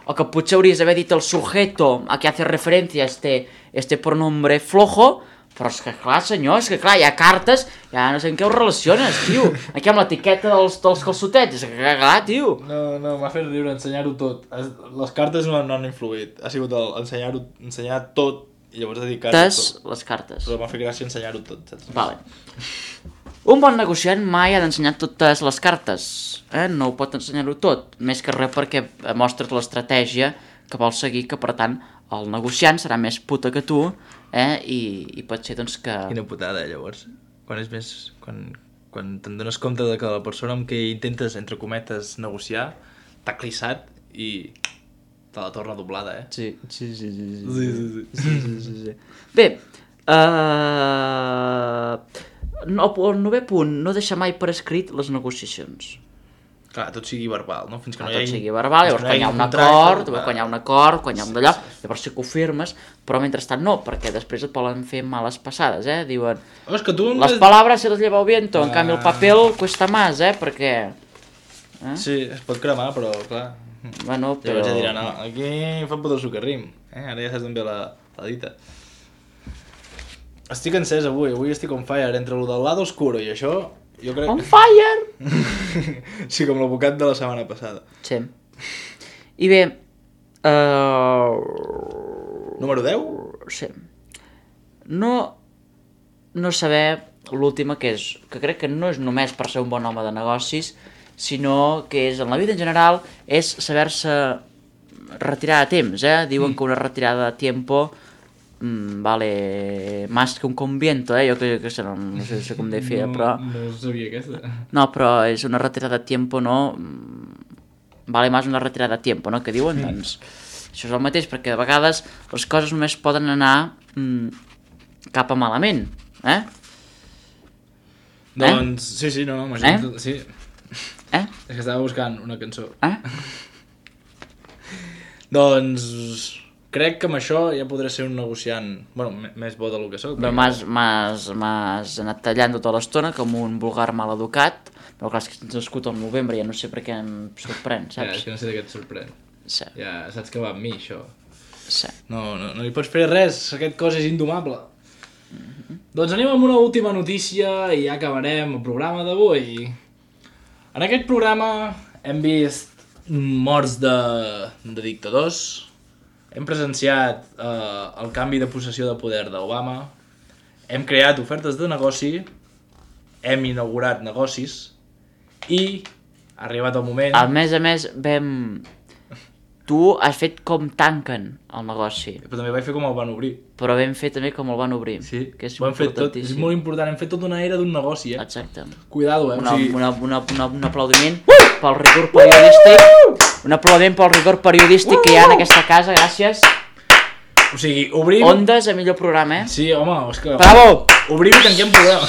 o que potser hauries d'haver dit el sujeto a què hace referència este, este pronombre flojo, però és que clar, senyor, és que clar, hi ha cartes, ja no sé en què ho relaciones, tio. Aquí amb l'etiqueta dels, dels calçotets, és que clar, tio. No, no, m'ha fet riure ensenyar-ho tot. Les cartes no, no han influït. Ha sigut el ensenyar-ho, ensenyar tot i llavors dedicar-ho tot. Les cartes. Però m'ha fet gràcia ensenyar-ho tot, saps? Vale. Un bon negociant mai ha d'ensenyar totes les cartes, eh? No ho pot ensenyar-ho tot, més que res perquè mostres l'estratègia que vols seguir, que per tant el negociant serà més puta que tu, eh? I, i pot ser doncs que... Quina putada, eh, llavors. Quan és més... Quan, quan te'n dones compte de que la persona amb qui intentes, entre cometes, negociar, t'ha clissat i te la torna doblada, eh? Sí, sí, sí, sí. sí, sí, sí, sí. sí, sí, sí, sí. Bé, uh... no, el novè punt, no deixar mai per escrit les negociacions. Clar, tot sigui verbal, no? Fins que no hi hagi... Tot sigui verbal, llavors quan hi ha un acord, quan hi ha un acord, quan hi ha un d'allò, llavors sí que ho firmes, però mentrestant no, perquè després et poden fer males passades, eh? Diuen, oh, és que tu les palabras se les lleva el viento, en canvi el papel cuesta más, eh? Perquè... Eh? Sí, es pot cremar, però clar... Bueno, però... Llavors ja dirà, no, aquí fa poder sucarrim, eh? Ara ja saps ben bé la, la dita. Estic encès avui, avui estic on fire, entre el del lado oscuro i això... Jo crec... On fire! Sí, com l'advocat de la setmana passada. Sí. I bé... Uh... Número deu? Sí. No... No saber l'última, que és... Que crec que no és només per ser un bon home de negocis, sinó que és, en la vida en general, és saber-se retirar a temps, eh? Diuen mm. que una retirada a tiempo... Mm, vale más que un conviento, eh? Jo que, que no, no sé, sé com deia, no, però... No sabia aquesta. No, però és una retirada a tiempo, no? Vale más una retirada a tiempo, no? Que diuen, mm. doncs... Això és el mateix, perquè de vegades les coses només poden anar mm, cap a malament, eh? Doncs, eh? sí, sí, no, no, imagina't... Eh? Sí. Eh? És que estava buscant una cançó. Eh? Doncs... Crec que amb això ja podré ser un negociant, bueno, més bo del que soc. Però m'has anat tallant tota l'estona com un vulgar maleducat, però clar, és que ets nascut al novembre, ja no sé per què em sorprèn, saps? Ja, és que no sé de què et sorprèn. Sí. Ja saps que va amb mi, això. Sí. No, no, no hi pots fer res, aquest cos és indomable. Mm-hmm. Doncs anem amb una última notícia i ja acabarem el programa d'avui. En aquest programa hem vist morts de, de dictadors, hem presenciat eh, el canvi de possessió de poder d'Obama, hem creat ofertes de negoci, hem inaugurat negocis i ha arribat el moment... A més a més, vam... Tu has fet com tanquen el negoci. Però també vaig fer com el van obrir. Però vam fer també com el van obrir. Sí, que és ho hem fet tot, és molt important, hem fet tota una era d'un negoci, eh? Exacte. Cuidado, eh? Una, o sigui... una, una, una, un aplaudiment uh! pel rigor periodístic. Un aplaudiment pel rigor periodístic uh! que hi ha en aquesta casa, gràcies. O sigui, obrim... Ondes, el millor programa, eh? Sí, home, és que... Bravo! Obrim i tanquem programa.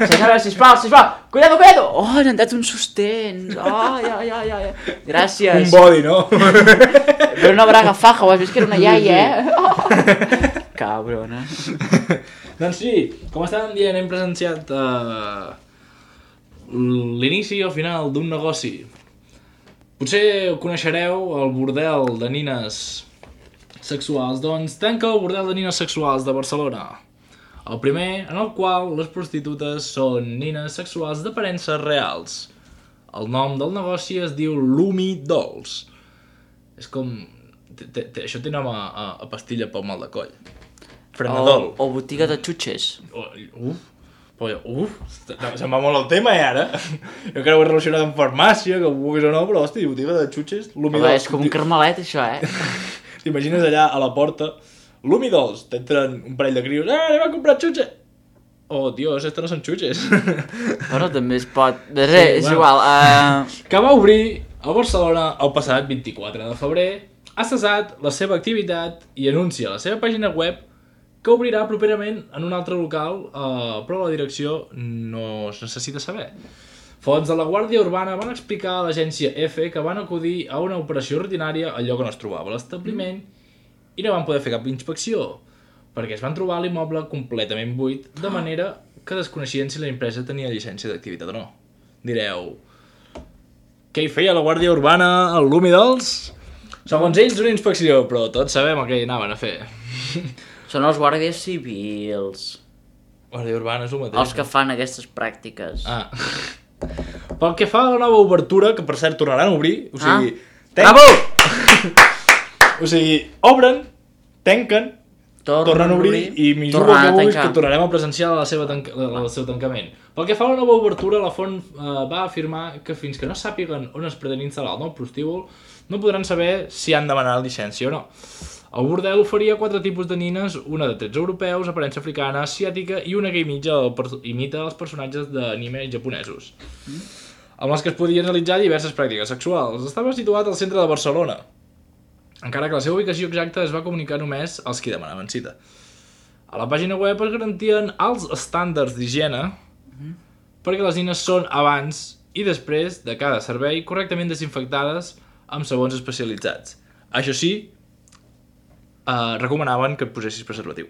Senyora, sisplau, sisplau! Cuidado, cuidado! Oh, n'han dat uns sostens! Oh, ja, ja, ja, ja. Gràcies. Un body, no? Però una braga faja, ho has vist que era una iaia, eh? Oh. Cabrona. Doncs sí, com estàvem dient, hem presenciat uh, l'inici i el final d'un negoci. Potser coneixereu el bordel de nines sexuals, doncs tanca el bordel de nines sexuals de Barcelona. El primer, en el qual les prostitutes són nines sexuals d'aparences reals. El nom del negoci es diu Lumi Dolls. És com... T -t -t això té nom a, a, a pastilla pel mal de coll. Frenadol. O, o botiga de xutxes. O, uf, Però jo, uf, se'n va molt el tema, eh, ara. Jo crec que ho he relacionat amb farmàcia, que ho vulguis o no, però, hòstia, botiga de xutxes, l'humidol... És com un carmelet, això, eh? T'imagines allà a la porta, l'humidols, t'entren un parell de crios, eh, anem a comprar xutxes! Oh, dios, esto no són xutxes. Però també es pot... És, sí, és bueno. igual. Uh... Que va obrir a Barcelona el passat vint-i-quatre de febrer, ha cessat la seva activitat i anuncia a la seva pàgina web que obrirà properament en un altre local, eh, però la direcció no es necessita saber. Fonts de la Guàrdia Urbana van explicar a l'agència EFE que van acudir a una operació rutinària al lloc on es trobava l'establiment i no van poder fer cap inspecció, perquè es van trobar l'immoble completament buit, de manera que desconeixien si la empresa tenia llicència d'activitat o no. Direu, què hi feia la Guàrdia Urbana al l'Humidols? Segons ells, una inspecció, però tots sabem el que hi anaven a fer. Són els guàrdies civils. Guàrdia Urbana és el mateix. Els que fan aquestes pràctiques. Ah. Pel que fa a la nova obertura, que per cert tornaran a obrir, o sigui... Ah. Ten... Bravo! O sigui, obren, tanquen, tornen, tornen a obrir i m'hi jugo que vulguis que tornarem a presenciar la seva tanca... el seu tancament. Pel que fa a la nova obertura, la font eh, va afirmar que fins que no sàpiguen on es pretén instal·lar el nou prostíbul, no podran saber si han demanat llicència o no. El bordel oferia quatre tipus de nines, una de trets europeus, aparença africana, asiàtica i una que imita, imita els personatges d'anime japonesos, mm. amb les que es podien realitzar diverses pràctiques sexuals. Estava situat al centre de Barcelona, encara que la seva ubicació exacta es va comunicar només als qui demanaven cita. A la pàgina web es garantien alts estàndards d'higiene, mm. perquè les nines són abans i després de cada servei correctament desinfectades amb sabons especialitzats. Això sí, Uh, recomanaven que et posessis preservatiu.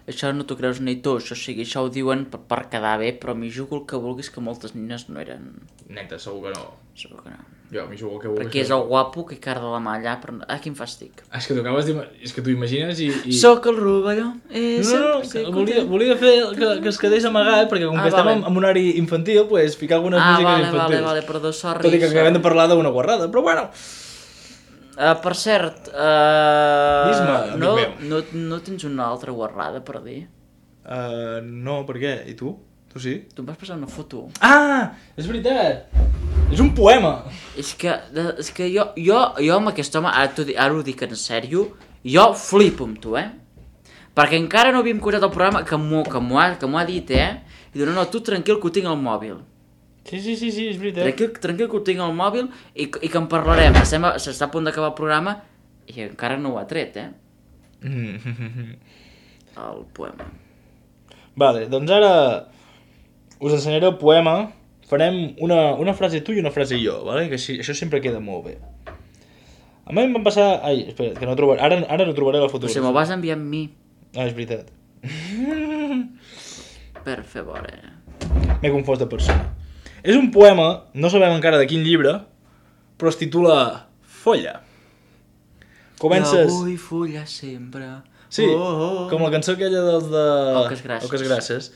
Això no t'ho creus ni tu, això, o sigui, això ho diuen per, per quedar bé, però m'hi jugo el que vulguis que moltes nines no eren... Neta, segur que no. Segur que no. Jo m'hi jugo el que vulguis. Perquè és el guapo que cara de la mà allà, però... Ah, quin fàstic. És que tu acabes és que tu imagines i... i... Soc el rovelló, eh, no, no, no, volia, volia fer que, que es quedés amagat, perquè com ah, que estem vale. en, en un horari infantil, pues, ficar algunes ah, músiques vale, infantils. Ah, vale, vale, perdó, sorry. Tot i que acabem de parlar d'una guarrada, però bueno... Uh, per cert, uh, Dis-me, no, amic no, no tens una altra guarrada per dir? Uh, no, per què? I tu? Tu sí? Tu em vas passar una foto. Ah, és veritat! És un poema! És que, és que jo, jo, jo amb aquest home, ara, ara ho dic en sèrio, jo flipo amb tu, eh? Perquè encara no havíem curat el programa que m'ho ha, ha dit, eh? I diu, no, no, tu tranquil que ho tinc al mòbil. Sí, sí, sí, sí, és veritat. Tranquil, tranquil que ho tinc al mòbil i, i que en parlarem. S'està a punt d'acabar el programa i encara no ho ha tret, eh? Mm. El poema. Vale, doncs ara us ensenyaré el poema. Farem una, una frase tu i una frase jo, vale? Que així, això sempre queda molt bé. A mi em van passar... Ai, espera, que no trobaré... Ara, ara no trobaré la fotografia. Però si me'l vas enviar amb mi. Ah, és veritat. Per favor, eh? M'he confós de persona. És un poema, no sabem encara de quin llibre, però es titula Folla. Comences... Jo vull follar sempre. Sí, oh, oh, oh. Com la cançó aquella dels de... Oques grasses. Oques grasses.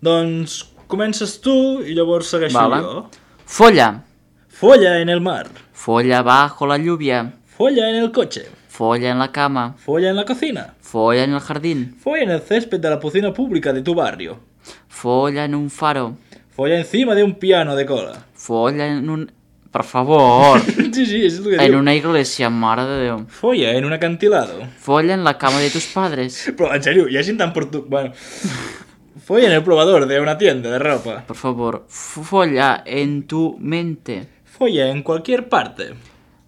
Doncs comences tu i llavors segueixo vale. jo. Folla. Folla en el mar. Folla bajo la lluvia. Folla en el coche. Folla en la cama. Folla en la cocina. Folla en el jardín. Folla en el césped de la cocina pública de tu barrio. Folla en un faro. Folla encima de un piano de cola. Folla en un... Per favor. Sí, sí, és el que en diu. En una iglesia, mare de Déu. Folla en un acantilado. Folla en la cama de tus padres. Però, en sèrio, hi ha gent tan por tu... Bueno... Folla en el probador de una tienda de ropa. Por favor, folla en tu mente. Folla en cualquier parte.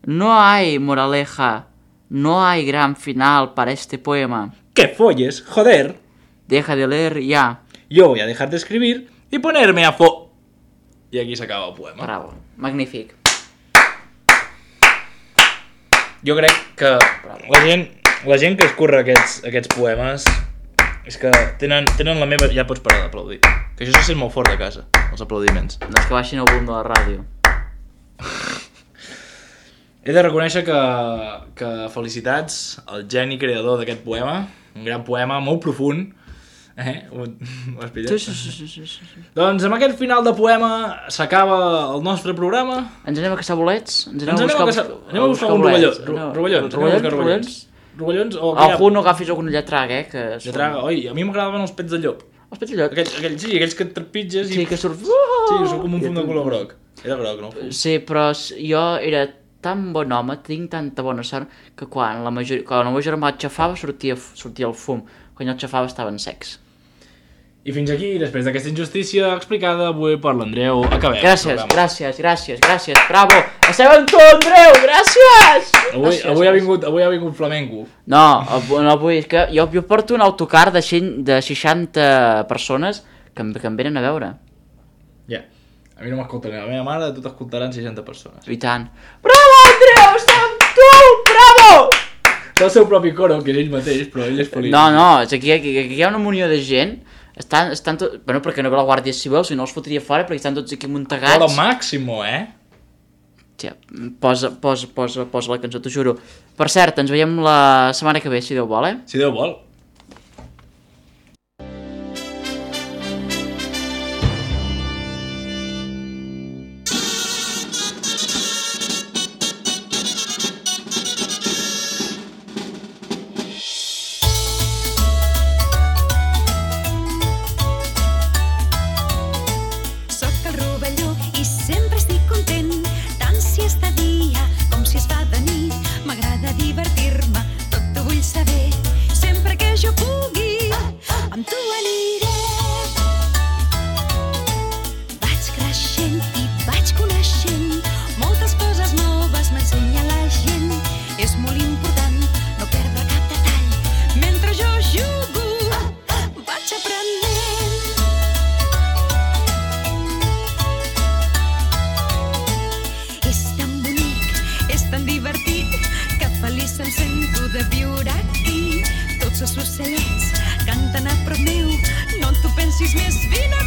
No hay moraleja, no hay gran final para este poema. ¡Que folles, joder! Deja de leer ya. Yo voy a dejar de escribir y ponerme a fo... I aquí s'acaba el poema. Bravo, magnífic. Jo crec que la gent, la gent que escurra aquests, aquests poemes és que tenen, tenen la meva... Ja pots parar d'aplaudir. Que això se sent molt fort de casa, els aplaudiments. No és que baixin el volum de la ràdio. He de reconèixer que, que felicitats al geni creador d'aquest poema. Un gran poema, molt profund. Eh? Ho has pillat? Sí, sí, sí, sí, sí. Doncs amb aquest final de poema s'acaba el nostre programa. Ens anem a caçar bolets? Ens anem, Ens anem a, buscar, a, anem a buscar un rovelló. Rovellons. Rovellons? Rovellons? Rovellons? O algú no agafis algun lletrag, eh? Que lletrag, oi, a mi m'agradaven els pets de llop. Els petillot. Aquells, aquells, sí, aquells que et trepitges i... Sí, que surt... Sí, surt com un fum de color groc. Era groc, no? Sí, però jo era tan bon home, tinc tanta bona sort, que quan, la major... quan el meu germà el xafava sortia, sortia el fum. Quan jo el xafava estaven secs. I fins aquí, després d'aquesta injustícia explicada avui per l'Andreu, acabem. Gràcies, gràcies, gràcies, gràcies, bravo! Estem amb tu, Andreu, gràcies! Avui, gràcies, avui, ha vingut, avui ha vingut flamenco. No, no avui, és que jo, jo porto un autocar de, de seixanta persones que em, que em venen a veure. Ja, yeah. A mi no m'escolten, a la meva mare tu t'escoltaran seixanta persones. I tant. Bravo, Andreu, estem amb tu, bravo! És el seu propi coro, que és ell mateix, però ell és feliç. No, no, és aquí, aquí, aquí hi ha una munió de gent. Estan, estan tot... Bueno, perquè no ve la Guàrdia Civil, si no els fotria fora, perquè estan tots aquí muntegats. Però màximo, eh? Tia, posa, posa, posa, posa la cançó, t'ho juro. Per cert, ens veiem la setmana que ve, si Déu vol, eh? Si Déu vol. Ocellets canten a prop meu, no t'ho pensis més, vine!